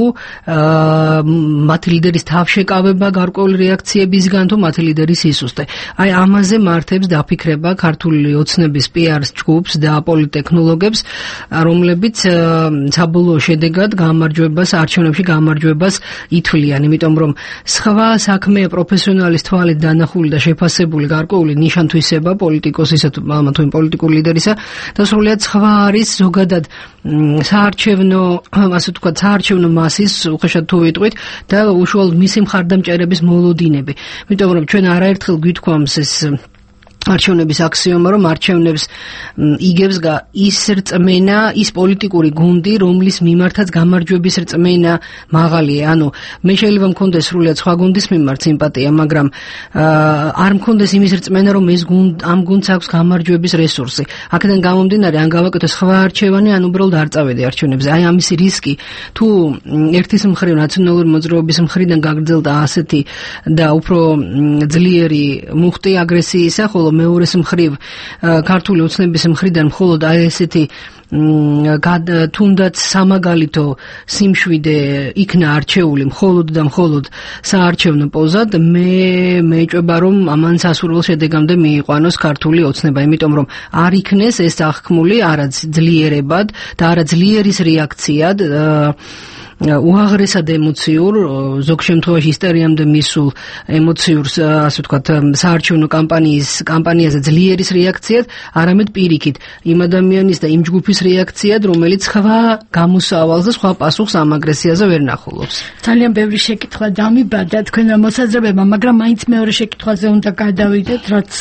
მათი ლიდერის თავშეკავება გარკვეული რეაქციებისგან, თუ მათი ლიდერის სისუსტე. აი ამაზე მართებს დაფიქრება ქართული ოცნების PR ჯგუფს და პოლიტექნოლოგებს, რომლებიც საბოლოო შედეგად გამარჯვებას, არჩევნებში გამარჯვებას ითვლიან, იმიტომ რომ სხვა საქმე პროფესიონალის თვალით დანახული და შეფასებული გარკვეული ნიშან-თვისება პოლიტიკოსისა თუ პოლიტიკური ლიდერისა და სრულიად სხვა არის ზოგადად საარჩევნო, ასე ვთქვათ, საარჩევნო მასის უხეშად თუ ვიტყვით და უშუალოდ მისი მხარდამჭერების მოლოდინები. იმიტომ რომ ჩვენ არაერთხელ გვითქვამს ეს არჩევნების აქსიომა, რომ არჩევნებს იგებს ის რწმენა, ის პოლიტიკური გუნდი, რომლის მიმართაც გამარჯვების რწმენა მაღალია. ანუ მე შეიძლება მქონდეს სრულიად სხვა გუნდის მიმართ სიმპათია, მაგრამ არ მქონდეს იმის რწმენა, რომ ამ გუნდს აქვს გამარჯვების რესურსი. აქედან გამომდინარე, ან გავაკეთო სხვა არჩევანი, ან უბრალოდ არ წავედი არჩევნებზე. აი ამისი რისკი, თუ ერთის მხრივ ნაციონალური მოძრაობის მხრიდან გაგრძელდა ასეთი და უფრო ძლიერი მუხტი აგრესიისა, ხოლო მეორეს მხრივ ქართული ოცნების მხრიდან მხოლოდ აი ესეთი თუნდაც სამაგალითო სიმშვიდე იქნა არჩეული მხოლოდ და მხოლოდ საარჩევნო პოზად, მე მეჭვება, რომ ამან სასურველ შედეგამდე მიიყვანოს ქართული ოცნება, იმიტომ რომ არ იქნეს ეს აღქმული არა ძლიერებად და არა ძლიერის რეაქციად უაღრესად ემოციურ, ზოგ შემთხვევაში ისტერიამდე მისულ ემოციურ, ასე ვთქვათ, საარჩევნო კამპანიაზე ძლიერის რეაქციად, არამედ პირიქით იმ ადამიანის და იმ ჯგუფის რეაქციად, რომელიც სხვა გამოსავალს და სხვა პასუხს ამ აგრესიაზე ვერ ნახულობს. ძალიან ბევრი შეკითხვა დამიბადა თქვენ მოსაზრებებმა, მაგრამ მაინც მეორე შეკითხვაზე უნდა გადავიდეთ, რაც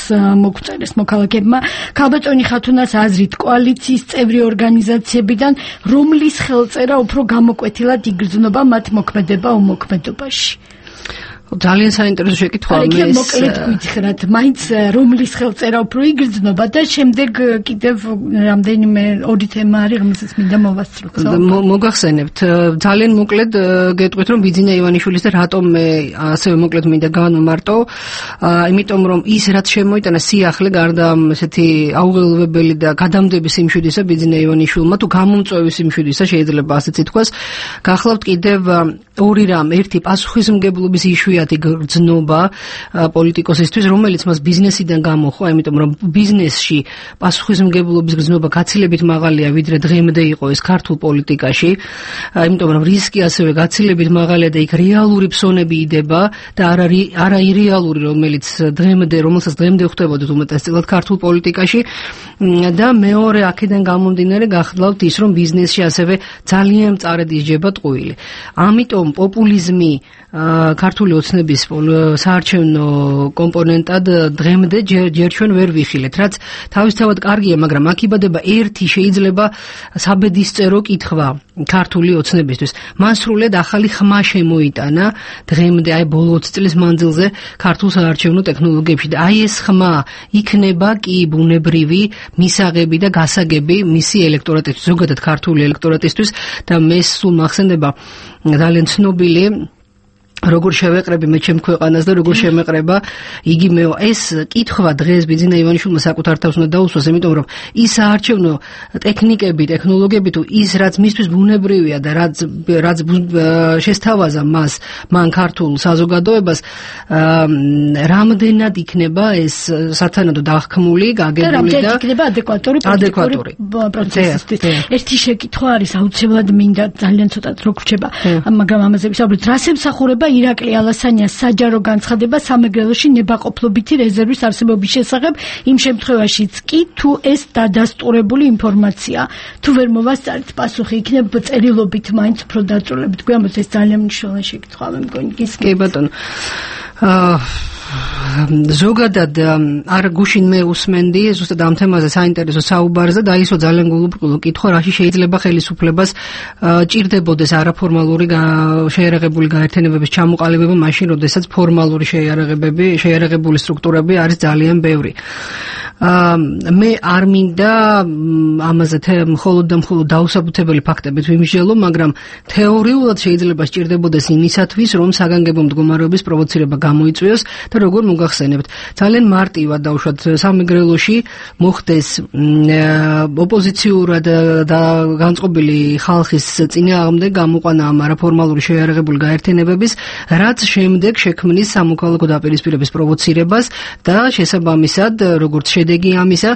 მოგწერეს მოქალაქეებმა. ქალბატონი ხათუნას აზრით, კოალიციის წევრი ორგანიზაციებიდან რომლის ხელწერა უფრო გამოკვეთილად იგრძნობა მათ მოქმედება უმოქმედობაში? ძალიან საინტერესო შეკითხვაა. მე მოკლედ გითხრათ, მაინც რომლის ხელწერა უფრო იგრძნობა და შემდეგ კიდევ რამდენიმე ორი თემა არის, რომელსაც მინდა მოვასწროთ. მოგახსენებთ, ძალიან მოკლედ გეტყვით, რომ ბიძინა ივანიშვილის და რატომ მე ასევე მოკლედ მინდა განვმარტო, იმიტომ რომ ის რაც შემოიტანა სიახლე გარდა ესეთი აუღელვებელი და გადამდები სიმშვიდისა ბიძინა ივანიშვილმა თუ გამომწვევი სიმშვიდისა შეიძლება ასეც ითქვას, გახლავთ კიდევ ორი რამ, ერთი პასუხისმგებლობის იშვიათი გრძნობა პოლიტიკოსისთვის, რომელიც მას ბიზნესიდან გამოხვა, იმიტომ რომ ბიზნესში პასუხისმგებლობის გრძნობა გაცილებით მაღალია, ვიდრე დღემდე იყო ეს ქართულ პოლიტიკაში, იმიტომ რომ რისკი ასევე გაცილებით მაღალია და იქ რეალური ფსონები იდება და არა ირეალური, რომელსაც დღემდე ხვდებოდეთ უმეტესწილად ქართულ პოლიტიკაში და მეორე აქედან გამომდინარე გახლავთ ის, რომ ბიზნესში ასევე ძალიან მწარედ ისჯება ტყუილი. ამიტომ პოპულიზმი ქართული ოცნების საარჩევნო კომპონენტად დღემდე ჯერ ჩვენ ვერ ვიხილეთ, რაც თავისთავად კარგია, მაგრამ აქ იბადება ერთი შეიძლება საბედისწერო კითხვა ქართული ოცნებისთვის. მან სრულად ახალი ხმა შემოიტანა დღემდე, აი ბოლო 20 წლის მანძილზე ქართულ საარჩევნო ტექნოლოგიებში და აი ეს ხმა იქნება კი ბუნებრივი მისაღები და გასაგები მისი ელექტორატისთვის, ზოგადად ქართული ელექტორატისთვის და მე სულ მახსენდება ძალიან ცნობილი როგორ შევეყრები მე ჩემ ქვეყანას და როგორ შემეყრება იგივე ეს კითხვა დღეს ბიძინა ივანიშვილმა საკუთარ თავს უნდა დაუსვას, იმიტომ რომ ის საარჩევნო ტექნიკები, ტექნოლოგიები თუ ის რაც მისთვის ბუნებრივია და რაც შესთავაზა მან ქართულ საზოგადოებას, რამდენად იქნება ეს სათანადო დახქმული, გაგებული და იქნება ადეკვატური პროცესისთვის. ერთი შეკითხვა არის, აუცილებლად მინდა ძალიან ცოტა რო გრჩება, მაგრამ ამაზე ვისაუბრეთ, რას ემსახურება ირაკლი ალასანიას საჯარო განცხადება სამეგრელოში ნებაყოფლობითი რეზერვის არსებობის შესახებ, იმ შემთხვევაშიც კი თუ ეს დადასტურებული ინფორმაცია, თუ ვერ მოვასწარეთ პასუხი, იქნება წერილობით მაინც უფრო დაწვრილებით. გვამოს ეს ძალიან მნიშვნელოვანი შეკითხვა, მე მგონი გისმენთ. კი ბატონო. ზოგადად არ გუშინ მე უსმენდი ზუსტად ამ თემაზე საინტერესო საუბარს და დაისვა ძალიან გულუბრყვილო კითხვა, რაში შეიძლება ხელისუფლებას ჭირდებოდეს არაფორმალური შეიარაღებული გაერთიანებების ჩამოყალიბება მაშინ, როდესაც ფორმალური შეიარაღებული სტრუქტურები არის ძალიან ბევრი. მე არ მინდა ამაზე მხოლოდ და მხოლოდ დაუსაბუთებელი ფაქტებით ვიმსჯელო, მაგრამ თეორიულად შეიძლება სჭირდებოდეს იმისათვის, რომ საგანგებო მდგომარეობის პროვოცირება გამოიწვიოს და როგორ მოგახსენებთ, ძალიან მარტივად დაუშვათ სამეგრელოში მოხდეს ოპოზიციურად და განწყობილი ხალხის წინააღმდეგ გამოყვანა ამ არაფორმალური შეიარაღებული გაერთიანებების, რაც შემდეგ შექმნის სამოქალაქო დაპირისპირების პროვოცირებას და შესაბამისად, როგორც შედეგი ამისა,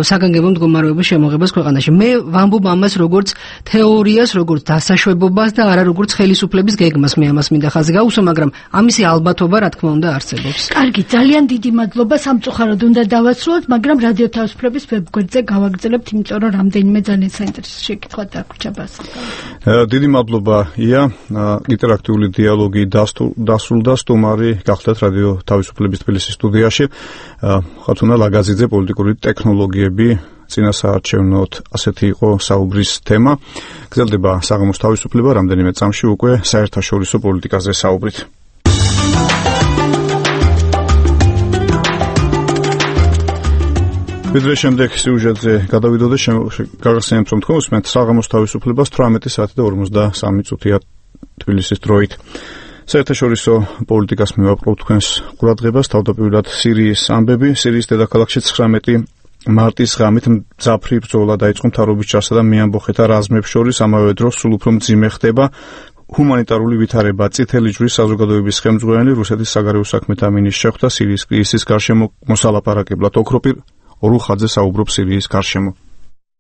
საგანგებო მდგომარეობის შემოღებას ქვეყანაში. მე ვამბობ ამას როგორც თეორიას, როგორც დასაშვებობას და არა როგორც ხელისუფლების გეგმას. მე ამას მინდა ხაზი გაუსვა, მაგრამ ამისი ალბათობა რა თქმა უნდა არსებობს. კარგი, ძალიან დიდი მადლობა, სამწუხაროდ უნდა დავასრულოთ, მაგრამ რადიო თავისუფლების ვებგვერდზე გავაგრძელებთ, იმიტომ რომ რამდენიმე ძალიან საინტერესო შეკითხვა დაგვრჩა ბასაკა. დიდი მადლობა ია, ინტერაქტიული დიალოგი დასრულდა, სტუმარი გახდათ რადიო თავისუფლების თბილისის სტუდიაში. ხათუნა ლაგაზიძე, პოლიტიკური ტექნოლოგიები წინასაარჩევნოდ, ასეთი იყო საუბრის თემა. გრძელდება საღამოს თავისუფლება, რამდენიმე წამში უკვე საერთაშორისო პოლიტიკაზე საუბრით. ვიდრე შემდეგ სიუჟეტზე გადავიდო და გაგახსენებთ, რომ თქვენ უსმენთ საღამოს თავისუფლებას 18 საათი და 53 წუთია თბილისის დროით. საერთაშორისო პოლიტიკას მივაპყრობთ თქვენს ყურადღებას, თავდაპირველად სირიის ამბები. სირიის დედაქალაქში 19 მარტის ღამით მძაფრი ბრძოლა დაიწყო მთავრობის ჯარსა და მეამბოხეთა რაზმებს შორის, ამავე დროს სულ უფრო მძიმე ხდება ჰუმანიტარული ვითარება. წითელი ჯვრის საზოგადოების ხელმძღვანელი რუსეთის საგარეო საქმეთა მინისტრს შეხვდა სირიის კრიზისის გარშემო მოსალაპარაკებლად. ოქროპირ ორუხაძე საუბრობს სირიის გარშემო.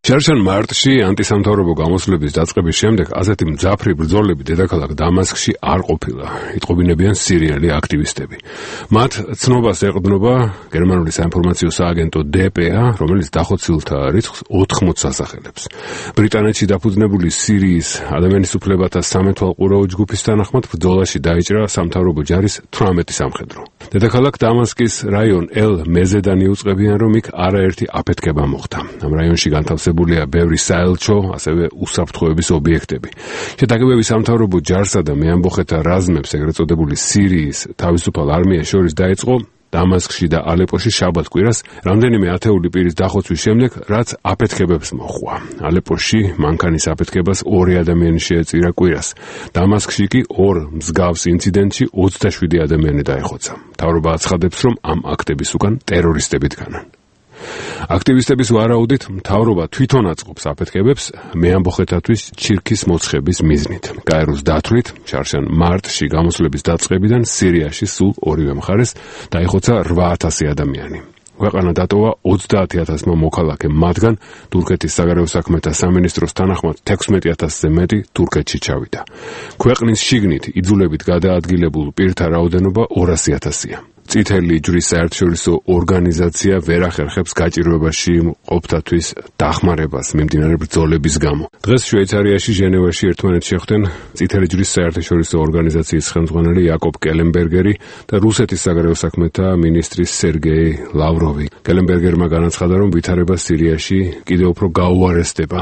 შარშან მარტში ანტისამთავრობო გამოსვლების დაწყების შემდეგ ასეთი მძაფრი ბრძოლები დედაქალაქ დამასკში არ ყოფილა. იტყობინებიან სირიელი აქტივისტები. მათ ცნობას ეყრდნობა გერმანული საინფორმაციო სააგენტო DPA, რომელიც დახოცილთა რიცხვს 80 ასახელებს. ბრიტანეთში დაფუძნებული სირიის ადამიანის უფლებათა სამეთვალყურეო ჯგუფის თანახმად ბრძოლაში დაიჭრა სამთავრობო ჯარის 18 სამხედრო. დედაქალაქ დამასკის რაიონ ელ-მეზედანი უწყებიან, რომ იქ არაერთი აფეთქება მოხდა. ამ რაიონში განთავსებულია ბევრი საელჩო, ასევე უსაფრთხოების ობიექტები. შეტაკებები სამთავრობო ჯარსა და მეამბოხეთა რაზმებს, ეგრეთ წოდებული სირიის თავისუფალ არმიას შორის დაიწყო დამასკში და ალეპოში შაბათ კვირას რამდენიმე ათეული პირის დახოცვის შემდეგ, რაც აფეთქებებს მოჰყვა. ალეპოში მანქანის აფეთქებას 2 ადამიანი შეეწირა კვირას. დამასკში კი ორ მსგავს ინციდენტში 27 ადამიანი დაეხოცა. მთავრობა აცხადებს, რომ ამ აქტების უკან ტერორისტები დგანან. აქტივისტების ვარაუდით, მთავრობა თვითონ აწყობს აფეთქებებს მეამბოხეთათვის ჩირქის მოცხების მიზნით. გაეროს დათვლით, შარშან მარტში გამოსვლების დაწყებიდან სირიაში სულ ორივე მხარეს დაიხოცა 8000 ადამიანი. ქვეყანა დატოვა 30000-მა მოქალაქემ, მათგან თურქეთის საგარეო საქმეთა სამინისტროს თანახმად 16000-ზე მეტი თურქეთში ჩავიდა. ქვეყნის შიგნით იძულებით გადაადგილებულ პირთა რაოდენობა 200000-ია. წითელი ჯვრის საერთაშორისო ორგანიზაცია ვერ ახერხებს გაჭირვებაში მყოფთათვის დახმარებას მიმდინარე ბრძოლების გამო. დღეს შვეიცარიაში ჟენევაში ერთმანეთს შეხვდნენ წითელი ჯვრის საერთაშორისო ორგანიზაციის ხელმძღვანელი იაკობ კელენბერგერი და რუსეთის საგარეო საქმეთა მინისტრი სერგეი ლავროვი. კელენბერგერმა განაცხადა, რომ ვითარება სირიაში კიდევ უფრო გაუარესდება.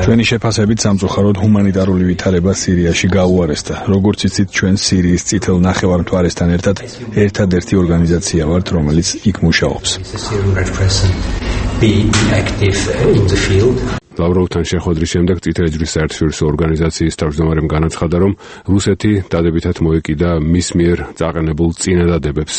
ჩვენი შეფასებით სამწუხაროდ ჰუმანიტარული ვითარება სირიაში გაუარესდა. როგორც იცით, ჩვენ სირიის წითელ ნახევარმთვარესთან ერთადერთი ორგანიზაცია ვართ, რომელიც იქ მუშაობს. ლავროვთან შეხვედრის შემდეგ წითელი ჯვრის საერთაშორისო ორგანიზაციის თავმჯდომარემ განაცხადა, რომ რუსეთი დადებითად მოეკიდა მის მიერ წაყენებულ წინადადებებს.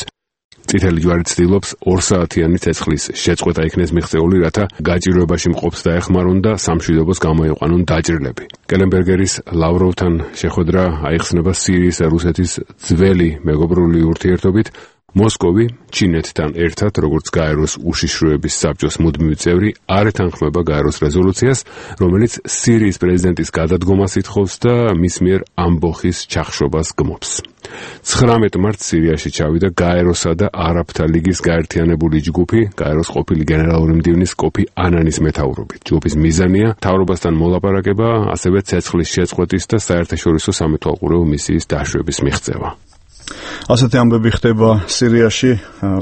წითელი ჯვარი ცდილობს 2 საათიანი ცეცხლის შეწყვეტა იქნეს მიღწეული, რათა გაჭირვებაში მყოფს დაეხმარონ და სამშვიდობოს გამოიყვანონ დაჭრილები. კელენბერგერის ლავროვთან შეხვედრა აიხსნება სირიის და რუსეთის ძველი მეგობრული ურთიერთობით. მოსკოვი ჩინეთთან ერთად, როგორც გაეროს უშიშროების საბჭოს მუდმივი წევრი, არ ეთანხმება გაეროს რეზოლუციას, რომელიც სირიის პრეზიდენტის გადადგომას ითხოვს და მის მიერ ამბოხის ჩახშობას გმობს. 19 მარტს სირიაში ჩავიდა გაეროსა და არაბთა ლიგის გაერთიანებული ჯგუფი, გაეროს ყოფილი გენერალური მდივნის კოფი ანანის მეთაურობით. ჯგუფის მიზანია მთავრობასთან მოლაპარაკება, ასევე ცეცხლის შეწყვეტის და საერთაშორისო სამეთვალყურეო მისიის დაშვების მიღწევა. ასეთი ამბები ხდება სირიაში.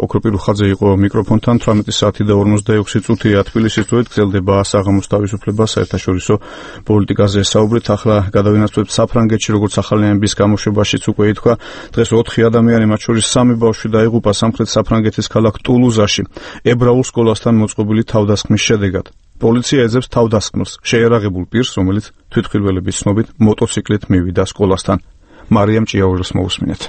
ოქრო პირუხაძე იყო მიკროფონთან. 18 საათი და 46 წუთია თბილისის დროით გრძელდება საღამოს თავისუფლება საერთაშორისო პოლიტიკაზე საუბრით. ახლა გადავინაცვლებთ საფრანგეთში, როგორც ახალიანების გამოშვებაშიც უკვე ითქვა. დღეს 4 ადამიანი, მათ შორის 3 ბავშვი დაიღუპა სამხრეთ საფრანგეთის ქალაქ ტულუზაში ებრაულ სკოლასთან მოწყობილი თავდასხმის შედეგად. პოლიცია ეძებს თავდასხმელს, შეიარაღებულ პირს, რომელიც თვითმხილველების ცნობით მოტოციკლით მივიდა სკოლასთან. მარიამ ჭიაურელს მოусმინეთ.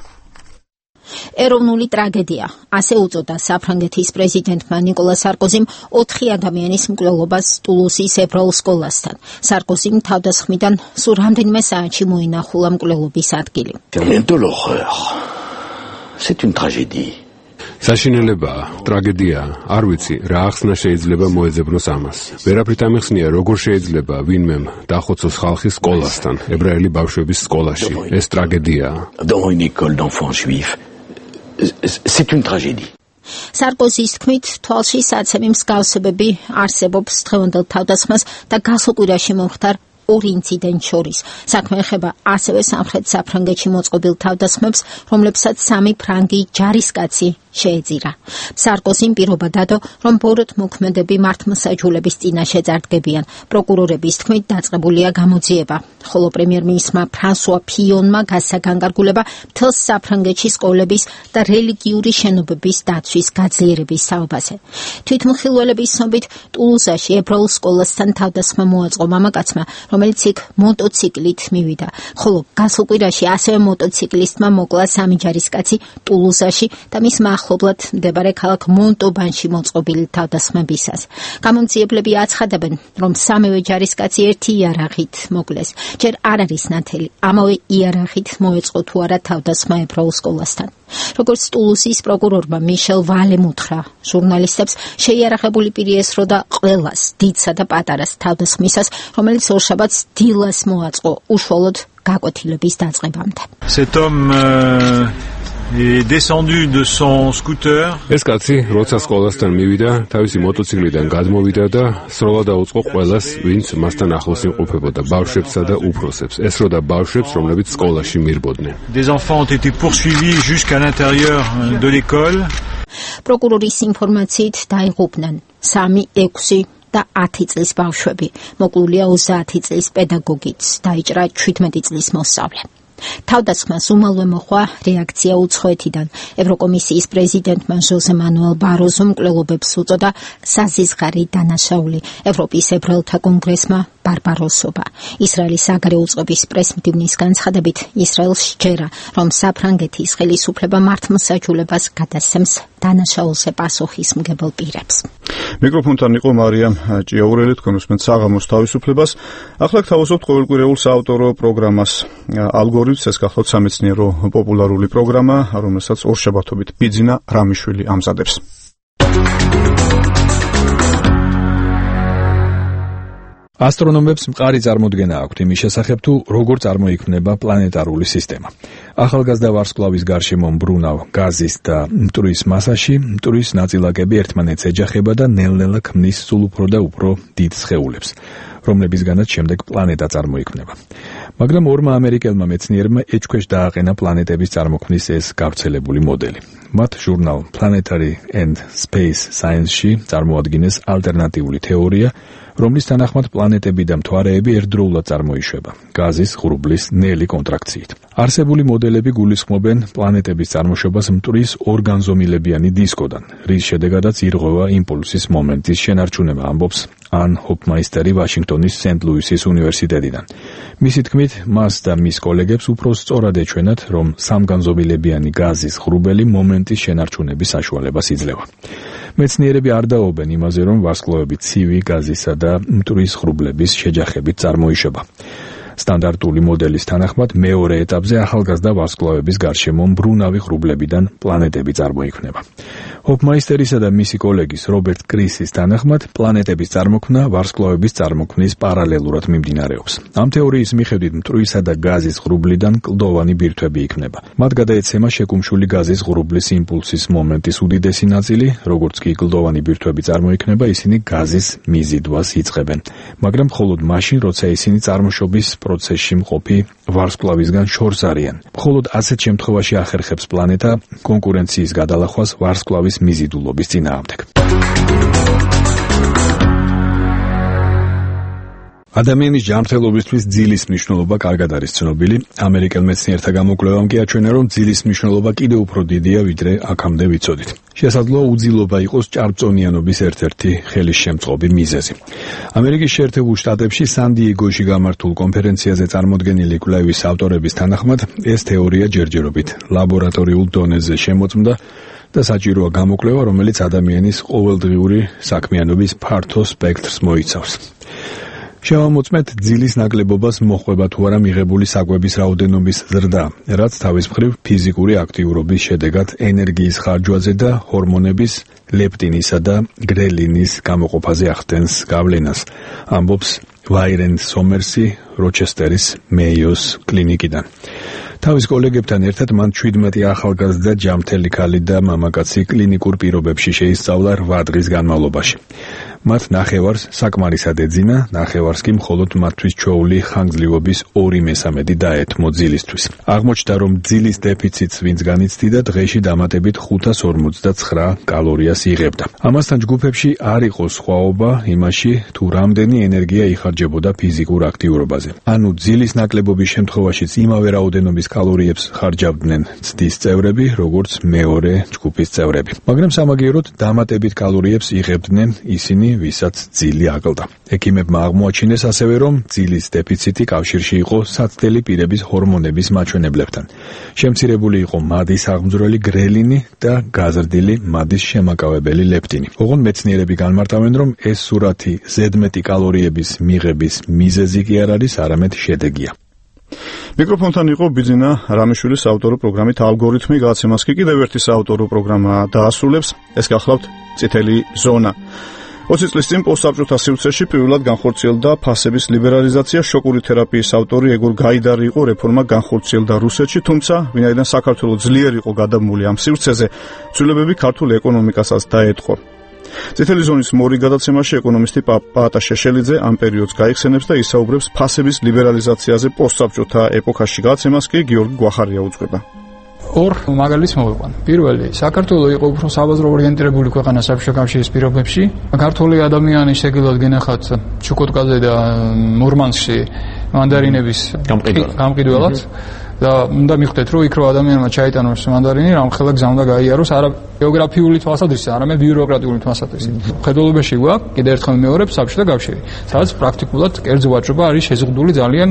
ეროვნული ტრაგედია, ასე უწოდა საფრანგეთის პრეზიდენტმა ნიკოლა სარკოზიმ 4 ადამიანის მკვლელობას ტულუსის ებრაულ სკოლასთან. სარკოზიმ თავდასხმიდან სულ რამდენიმე საათში მოინახულა მკვლელობის ადგილი. საშინელებაა, ტრაგედია, არ ვიცი, რა ახსნა შეიძლება მოეძებნოს ამას. ვერაფრით ამიხსნია, როგორ შეიძლება ვინმემ დახოცოს ხალხის სკოლასთან, ებრაელი ბავშვების სკოლაში. ეს ტრაგედიაა. სარკოზის თქმით, თვალში საცემი მსგავსებები არსებობს დღევანდელ თავდასხმას და გასულ კვირაში მომხდარ 2 ინციდენტ შორის. საქმე ეხება ასევე სამხრეთ საფრანგეთში მოწყობილ თავდასხმებს, რომლებსაც 3 ფრანგი ჯარისკაცი შეეწირა. სარკოზიმ პირობა დადო, რომ ბოროტ მოქმედები მართლმსაჯულების წინაშე წარდგებიან. პროკურორების თქმით, დაწყებულია გამოძიება, ხოლო პრემიერ-მინისტრმა ფრანსუა ფიონმა გასცა განკარგულება მთელს საფრანგეთში სკოლების და რელიგიური შენობების დაცვის გაძლიერების საუბაზე. თვითმხილველების ცნობით, ტულუზაში ებრაულ სკოლასთან თავდასხმა მოაწყო მამაკაცმა, რომელიც იქ მოტოციკლით მივიდა, ხოლო გასულ კვირაში ასევე მოტოციკლისტმა მოკლა 3 ჯარისკაცი ტულუზაში და მის ახლობლად მდებარე ქალაქ მონტობანში მოწყობილი თავდასხმებისას. გამომძიებლები აცხადებენ, რომ 3 ჯარისკაცი ერთი იარაღით მოკლეს. ჯერ არ არის ნათელი, ამავე იარაღით მოეწყო თუ არა თავდასხმა ებრაულ სკოლასთან. როგორც ტულუსის პროკურორმა მიშელ ვალემ უთხრა ჟურნალისტებს, შეიარაღებული პირი ესრო და ყველას, დიდსა და პატარას თავდასხმისას, რომელიც ორშაბათს დილას მოაწყო უშუალოდ გაკვეთილების დაწყებამდე. Cet homme est descendu de son scooter. ეს კაცი როცა სკოლასთან მივიდა, თავისი მოტოციკლიდან გადმოვიდა და სროლა დაუწყო ყველას, ვინც მასთან ახლოს იმყოფებოდა, ბავშვებსა და უფროსებს. ესროდა ბავშვებს, რომლებიც სკოლაში მირბოდნენ. Des enfants ont été poursuivis jusqu'à l'intérieur de l'école. პროკურორის ინფორმაციით დაიღუპნენ 3, 6 და 10 წლის ბავშვები. მოკლულია 30 წლის პედაგოგიც, დაიჭრა 17 წლის მოსწავლე. თავდასხმას უმალვე მოხვა რეაქცია უცხოეთიდან. ევროკომისიის პრეზიდენტმა ჟოზე მანუელ ბაროზომ მკვლელობებს უწოდა საზიზღარი დანაშაული. ევროპის ებრაელთა კონგრესმა ბარბაროსობა. ისრაელის საგარეო უწყების პრესმდივნის განცხადებით, ისრაელს სჯერა, რომ საფრანგეთის ხელისუფლება მართლმსაჯულებას გადასცემს დანაშაულზე პასუხისმგებელ პირებს. მიკროფონთან იყო მარიამ ჭიაურელი, თქვენ უსმენთ საღამოს თავისუფლებას. ახლა გთავაზობთ ყოველკვირეულ საავტორო პროგრამას ალგორითმს. ეს გახლავთ სამეცნიერო პოპულარული პროგრამა, რომელსაც ორშაბათობით ბიძინა რამიშვილი ამზადებს. ასტრონომებს მყარი წარმოდგენა აქვთ იმის შესახებ, თუ როგორ წარმოიქმნება პლანეტარული სისტემა. ახალგაზრდა ვარსკვლავის გარშემო მბრუნავ გაზის და მტვრის მასაში მტვრის ნაწილაკები ერთმანეთს ეჯახება და ნელ-ნელა ქმნის სულ უფრო და უფრო დიდ სხეულებს, რომლებისგანაც შემდეგ პლანეტა წარმოიქმნება. მაგრამ ორმა ამერიკელმა მეცნიერმა ეჭქვეშ დააყენა პლანეტების წარმოქმნის ეს გავრცელებული მოდელი. მათ ჟურნალ Planetary and Space Science-ში წარმოადგინეს ალტერნატიული თეორია, რომლის თანახმად პლანეტები და მთვარეები ერთდროულად წარმოიშვება გაზის ღრუბლის ნელი კონტრაქციით. არსებული მოდელები გულისხმობენ პლანეტების წარმოშობას მტვრის ორგანზომილებიანი დისკოდან, რის შედეგადაც ირღვევა იმპულსის მომენტის შენარჩუნება, ამბობს ან ჰოფმაისტერი ვაშინგტონის სენტ-ლუისის უნივერსიტეტიდან. მისი თქმით, მას და მის კოლეგებს უფრო სწორად ეჩვენათ, რომ სამგანზომილებიანი გაზის ღრუბელი მომენტის შენარჩუნების საშუალებას იძლევა. მეცნიერები არ დაობენ იმაზე, რომ ვარსკვლავები ცივი გაზისა და მტვრის ღრუბლების შეჯახებით წარმოიშვება. სტანდარტული მოდელის თანახმად მეორე ეტაპზე ახალგაზრდა ვარსკვლავების გარშემო მბრუნავი ღრუბლებიდან პლანეტები წარმოიქმნება. ჰოფმაისტერისა და მისი კოლეგის რობერტ კრისის თანახმად პლანეტების წარმოქმნა ვარსკვლავების წარმოქმნის პარალელურად მიმდინარეობს. ამ თეორიის მიხედვით მტვრისა და გაზის ღრუბლიდან კლდოვანი ბირთვები იქმნება. მათ გადაეცემა შეკუმშული გაზის ღრუბლის იმპულსის მომენტის უდიდესი ნაწილი, როგორც კი კლდოვანი ბირთვები წარმოიქმნება, ისინი გაზის მიზიდვას იწყებენ, მაგრამ მხოლოდ მაშინ, როცა ისინი წარმოშობის პროცესში მყოფი ვარსკვლავისგან შორს არიან. მხოლოდ ასეთ შემთხვევაში ახერხებს პლანეტა კონკურენციის გადალახვას ვარსკვლავის მიზიდულობის წინააღმდეგ. ადამიანის ჯანმრთელობისთვის ძილის მნიშვნელობა კარგად არის ცნობილი. ამერიკელ მეცნიერთა გამოკვლევამ კი აჩვენა, რომ ძილის მნიშვნელობა კიდევ უფრო დიდია, ვიდრე აქამდე ვიცოდით. შესაძლოა უძილობა იყოს ჭარბწონიანობის ერთ-ერთი ხელისშემწყობი მიზეზი. ამერიკის შეერთებულ შტატებში სან-დიეგოში გამართულ კონფერენციაზე წარმოდგენილი კვლევის ავტორების თანახმად, ეს თეორია ჯერჯერობით ლაბორატორიულ დონეზე შემოწმდა და საჭიროა გამოკვლევა, რომელიც ადამიანის ყოველდღიური საქმიანობის ფართო სპექტრს მოიცავს. შევამოწმეთ ძილის ნაკლებობას მოხვება თუ არა მიღებული საკვების რაოდენობის ზრდა, რაც თავის მხრივ ფიზიკური აქტიურობის შედეგად ენერგიის ხარჯვაზე და ჰორმონების ლეპტინისა და გრელინის გამოყოფაზე ახდენს გავლენას, ამბობს ვაირენ სომერსი როჩესტერის მეიოს კლინიკიდან. თავის კოლეგებთან ერთად მან 17 ახალგაზრდა ჯამთელი ქალი და მამაკაცი კლინიკურ პირობებში შეისწავლა 8 დღის განმავლობაში. მათ ნახევარს საკმარისად ეძინა, ნახევარს კი მხოლოდ მათთვის ჩვეული ხანგრძლივობის 2/3 დაეთმო ძილისთვის. აღმოჩნდა, რომ ძილის დეფიციტს ვინც განიცდიდა, დღეში დამატებით 549 კალორიას იღებდა. ამასთან ჯგუფებში არ იყო სხვაობა იმაში, თუ რამდენი ენერგია იხარჯებოდა ფიზიკურ აქტიურობაზე. ანუ ძილის ნაკლებობის შემთხვევაშიც იმავე რაოდენობის კალორიებს ხარჯავდნენ ცდის წევრები, როგორც მეორე ჯგუფის წევრები. მაგრამ სამაგიეროდ დამატებით კალორიებს იღებდნენ ისინი, ვისაც ძილი აკლდა. ექიმებმა აღმოაჩინეს ასევე, რომ ძილის დეფიციტი კავშირში იყო საცდელი პირების ჰორმონების მაჩვენებლებთან. შემცირებული იყო მადის აღმძვრელი გრელინი და გაზრდილი მადის შემაკავებელი ლეპტინი. ოღონდ მეცნიერები განმარტავენ, რომ ეს სურათი ზედმეტი კალორიების მიღების მიზეზი კი არ არის, არამედ შედეგია. მიკროფონთან იყო ბიძინა რამიშვილის საავტორო პროგრამით ალგორითმი გადაცემას კი კიდევ ერთი საავტორო პროგრამა დაასრულებს. ეს გახლავთ წითელი ზონა. 20 წლის წინ პოსტსაბჭოთა სივრცეში პირველად განხორციელდა ფასების ლიბერალიზაცია. შოკური თერაპიის ავტორი ეგორ გაიდარი იყო, რეფორმა განხორციელდა რუსეთში, თუმცა ვინაიდან საქართველოს ძლიერ იყო გადაბმული ამ სივრცეზე, ცვლილებები ქართულ ეკონომიკასაც დაეთყო. წითელი ზონის მორიგ გადაცემაში ეკონომისტი პაატა შეშელიძე ამ პერიოდს გაიხსენებს და ისაუბრებს ფასების ლიბერალიზაციაზე პოსტსაბჭოთა ეპოქაში. გადაცემას კი გიორგი გვახარია უძღვება. ორ მაგალითს მოვიყვან. პირველი, საქართველოს იყო უფრო საბაზრო ორიენტირებული ქვეყანა საბჭოთა კავშირის პირობებში. ქართული ადამიანი შეგიძლიათ გენახათ ჩუკოტკაზე და მურმანსკში მანდარინების გამყიდველად და უნდა მიხვდეთ, რომ იქ რო ადამიანმა ჩაიტანოს მანდარინი, რამხელა გზა უნდა გაიაროს, არა გეოგრაფიული თვალსაზრისით, არამედ ბიუროკრატიული თვალსაზრისით. ხედულობაში გვაქვს კიდევ ერთხელ მეორე საბჭოთა კავშირი, სადაც პრაქტიკულად კერძო ვაჭრობა არის შეზღუდული ძალიან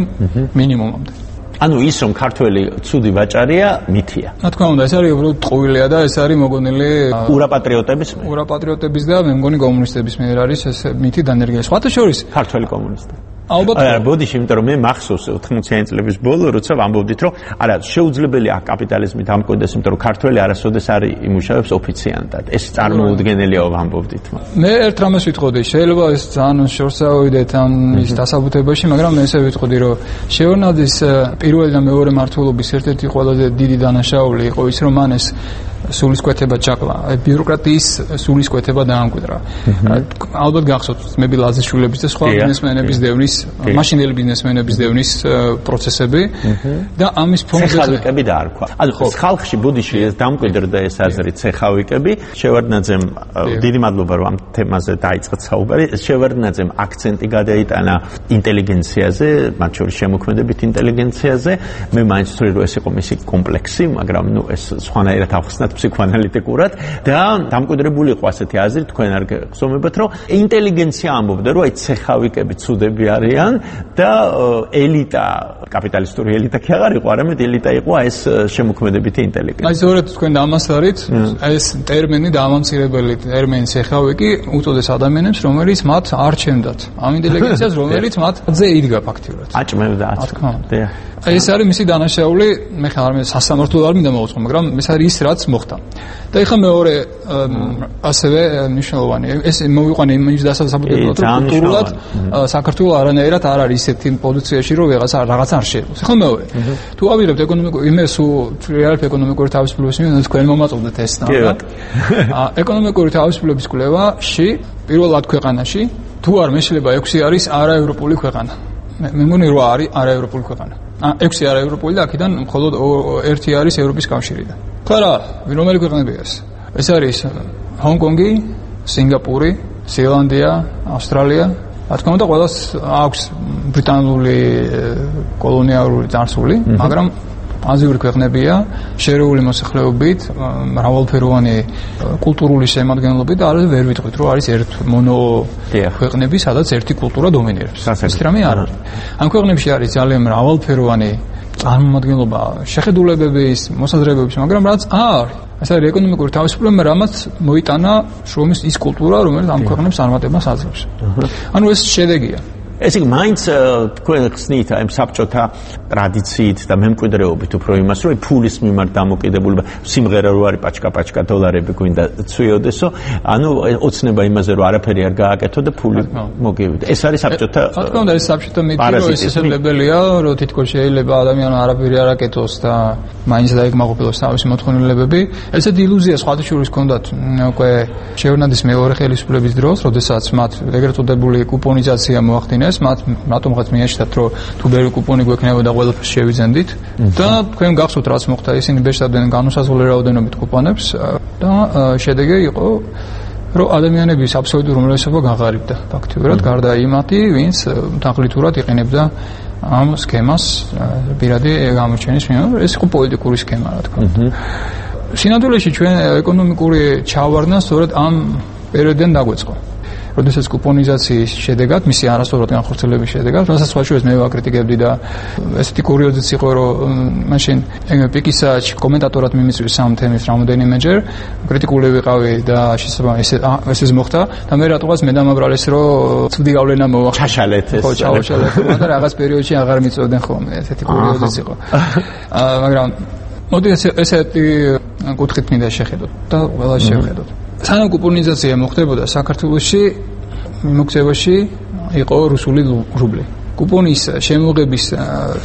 მინიმუმამდე. ანუ ის რომ ქართველი ცუდი ვაჭარია, მითია. რა თქმა უნდა, ეს არის უბრალოდ ტყუილია და ეს არის მოგონილი ურაპატრიოტების და მე მგონი კომუნისტების მიერ არის ეს მითი დანერგილი. სხვათა შორის ქართველი კომუნისტი. ალბათ არა, ბოდიში, იმიტომ რომ მე მახსოვს 80-იანი წლების ბოლო, როცა ვამბობდით, რომ არა, შეუძლებელია კაპიტალიზმი დამკვიდრდეს, იმიტომ რომ ქართველი არასოდეს არ იმუშავებს ოფიციანტად. ეს წარმოუდგენელია ვამბობდით. მე ერთ რამეს ვიტყოდი, შეიძლება ეს ძალიან შორს ავიდეთ ამ ის დასაბუთებაში, მაგრამ მე ესე ვიტყოდი, რომ შეონაძის პირველი და მეორე მმართველობის ერთ-ერთი ყველაზე დიდი დანაშაული იყო ის, რომ მან ეს სულისკვეთება ჩაკლა, ბიუროკრატიის სულისკვეთება დაამკვიდრა. ალბათ გახსოვთ მები ლაზიშვილების და სხვა ბიზნესმენების დევნის, მაშინდელი ბიზნესმენების დევნის პროცესები და ამის ფონზე ცეხავიკები დაარქვა. ანუ ხალხში ბუდიში ეს დამკვიდრდა ეს აზრი ცეხავიკები. შევარდნაძემ დიდი მადლობა რომ ამ თემაზე დაიწყეთ საუბარი. შევარდნაძემ აქცენტი გადაიტანა ინტელიგენციაზე, მათ შორის შემოქმედებით ინტელიგენციაზე. მე მაინც ვთვლი რომ ეს იყო მისი კომპლექსი, მაგრამ ნუ ეს სხვანაირად ავხსნათ ფსიქოანალიტიკურად და დამკვიდრებული იყო ასეთი აზრი, თქვენ არ გხსოვებთ, რომ ინტელიგენცია ამბობდა, რომ აი ცეხავიკები ცუდები არიან და ელიტა, კაპიტალისტური ელიტა კი აღარ იყო, არამედ ელიტა იყო ეს შემოქმედებითი ინტელიგენცია. აი ზოგადად თქვენ დამასარით, ეს ტერმინი დამამცირებელი ტერმინი ცეხავიკი უწოდეს ადამიანებს, რომელიც მათ არ ჩემდათ. ამ ინტელიგენციას, რომელიც მათზე იდგა ფაქტიურად. აჭმევდა. ეს არის მისი დანაშაული, მე ხარ მე სასამართლო არ მინდა მოვაწყო, მაგრამ ეს არის ის რაც მოხდა. და ეხლა მეორე ასევე მნიშვნელოვანი, ეს მოვიყვანე იმის დასაბუთებლად, რომ კულტურულად საქართველოს არანაირად არ არის ისეთი პოზიციაში, რომ რაღაცა არ შეიძლება. ეხლა მეორე. თუ ავიღებთ ეკონომიკურ იმეს რეალურ ეკონომიკური თავისუფლების მიმართ თქვენ მომაწოდეთ ეს და ეკონომიკური თავისუფლების კვლევაში პირველად ქვეყანაში თუ არ მეშლება 6 არის არაევროპული ქვეყანა. მე მგონი 8 არის არაევროპული ქვეყანა. 6 არაევროპული და აქედან მხოლოდ 1 არის ევროპის კავშირიდან. ხარა, რომელი ქვეყნებია ეს? ეს არის ჰონკონგი, სინგაპური, ზელანდია, ავსტრალია. რა თქმა უნდა, ყველას აქვს ბრიტანული კოლონიალური წარსული, მაგრამ აზიური ქვეყნებია, შერეული მოსახლეობით, მრავალფეროვანი კულტურული შემადგენლობით და არ ვერ ვიტყვით, რომ არის ერთ მონო ქვეყნები, სადაც ერთი კულტურა დომინირებს. ეს რამე არ არის. ამ ქვეყნებში არის ძალიან მრავალფეროვანი წარმომადგენლობა შეხედულებების, მოსაზრებების, მაგრამ რაც არის. ეს არის ეკონომიკური თავისუფლება, რამაც მოიტანა შრომის ის კულტურა, რომელიც ამ ქვეყნებს წარმატებას აძლევს. ანუ ეს შედეგია. ეს იგი მაინც თქვენ ხსნით აი საბჭოთა ტრადიციით და მემკვიდრეობით უფრო იმას, რომ ფულის მიმართ დამოკიდებულება, სიმღერა რო არის პაჩკა დოლარები გვინდა ცვიოდესო, ანუ ოცნება იმაზე რომ არაფერი არ გააკეთო და ფული მოგივიდა. ეს არის საბჭოთა რა თქმა უნდა, ეს საბჭოთა მითი, რომ ეს შესაძლებელია, რომ თითქოს შეიძლება ადამიანმა არაფერი არ აკეთოს და მაინც დაიკმაყოფილოს თავისი მოთხოვნილებები. ესეთი ილუზია სხვათა შორის ჰქონდათ უკვე შევნადის მეორე ხელისუფლების დროს, როდესაც მათ ეგრეთ წოდებული კუპონიზაცია მოახდინეს. მათ რატომღაც მიაჩნდათ, რომ თუ ბევრი კუპონი გვექნება და ყველაფერს შევიძენდით და თქვენ გახსოვთ რაც მოხდა, ისინი ბეჭდავდნენ განუსაზღვრელი რაოდენობით კუპონებს და შედეგი იყო, რომ ადამიანების აბსოლუტური უმრავლესობა გაღარიბდა ფაქტიურად, გარდა იმათი, ვინც თაღლითურად იყენებდა ამ სქემას პირადი გამოჩენის მიმართ. ეს იყო პოლიტიკური სქემა, რა თქმა უნდა. სინამდვილეში ჩვენ ეკონომიკური ჩავარდნა სწორედ ამ პერიოდიდან დაგვეწყო. როდესაც კუპონიზაციის შედეგად, მისი არასწორად განხორციელების შედეგად, რასაც სხვა შორის მე ვაკრიტიკებდი და ესეთი კურიოზიც იყო, რომ მაშინ პიკისაჩ კომენტატორად მიმიწვი სამ თემის რამოდენიმეჯერ, კრიტიკული ვიყავი და ესე მოხდა და მე რატოღაც მე დამაბრალეს, რომ ცუდი გავლენა მოახდინა. ჩაშალეთ ეს. ხო, ჩავაშალეთ და რაღაც პერიოდში აღარ მიწოდნენ ხოლმე, ესეთი კურიოზიც იყო. მაგრამ მოდი ესეთი კუთხით მინდა შეხედოთ და ყველა შევხედოთ. სანამ კუპონიზაცია მოხდებოდა საქართველოში, მიმოქცევაში იყო რუსული რუბლი. კუპონის შემოღების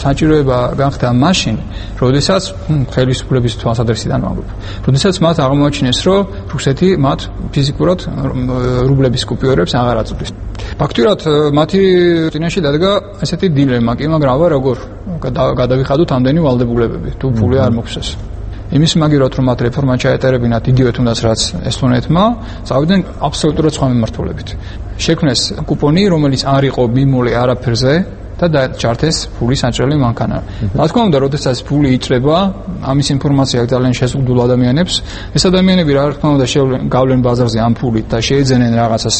საჭიროება განხდა მაშინ, როდესაც ხელისუფლების თვალსაზრისიდან ვამბობ. როდესაც მათ აღმოაჩინეს, რომ რუსეთი მათ ფიზიკურად რუბლების კუპიორებს აღარ აწვდის. ფაქტურად მათი წინაშე დადგა ესეთი დილემა, კი, მაგრამ აბა როგორ გადავიხადოთ ამდენი ვალდებულებები, თუ ფული არ მოგვცეს. იმის მაგივრად რომ მათ რეფორმა ჩაეტარებინათ იგივე თუნდაც რაც ესტონეთმა, წავიდნენ აბსოლუტურად სხვა მიმართულებით. შექმნეს კუპონი, რომელიც არ იყო მიმული არაფერზე და დაჭართეს ფულის აჭრელი მანქანა. რა თქმა უნდა, როდესაც ფული იჭრება, ამის ინფორმაცია ძალიან შეზღუდულ ადამიანებს, ეს ადამიანები რა თქმა უნდა გავლენ ბაზარზე ამ ფულით და შეეძენენ რაღაცას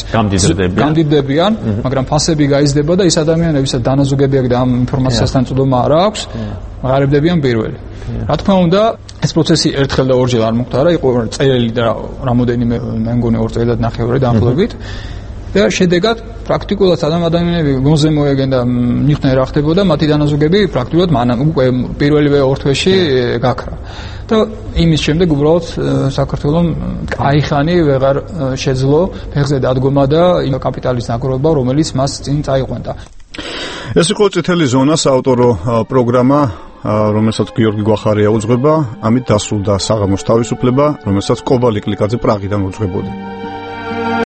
გამდიდრებიან, მაგრამ ფასები გაიზრდება და ეს ადამიანებისაც დანაზოგებია და ამ ინფორმაციასთან წვდომა არ აქვს, ღარიბდებიან პირველი. რა თქმა უნდა, ეს პროცესი ერთხელ და ორჯერ არ მოხდა, იყო წერილი და რამოდენიმე მე მგონი 2 წელი და ნახევარი დაახლოებით. და შედეგად პრაქტიკულად ადამიანები გონზე მოეგენ და მიხვდნენ რა ხდებოდა, მათი დანაზოგები პრაქტიკულად მანამ უკვე პირველივე ორ თვეში გაქრა. და იმის შემდეგ უბრალოდ საქართველოს კაიხანი ვეღარ შეძლო ფეხზე დადგომა და იმ კაპიტალის ნაგროვება, რომელიც მას წინ წაიყვანდა. ეს იყო წითელი ზონა საავტორო პროგრამა, რომელსაც გიორგი გვახარია უძღვება, ამით დასრულდა საღამოს თავისუფლება, რომელსაც კობალი კლიკაძე პრაღიდან უძღვებოდა.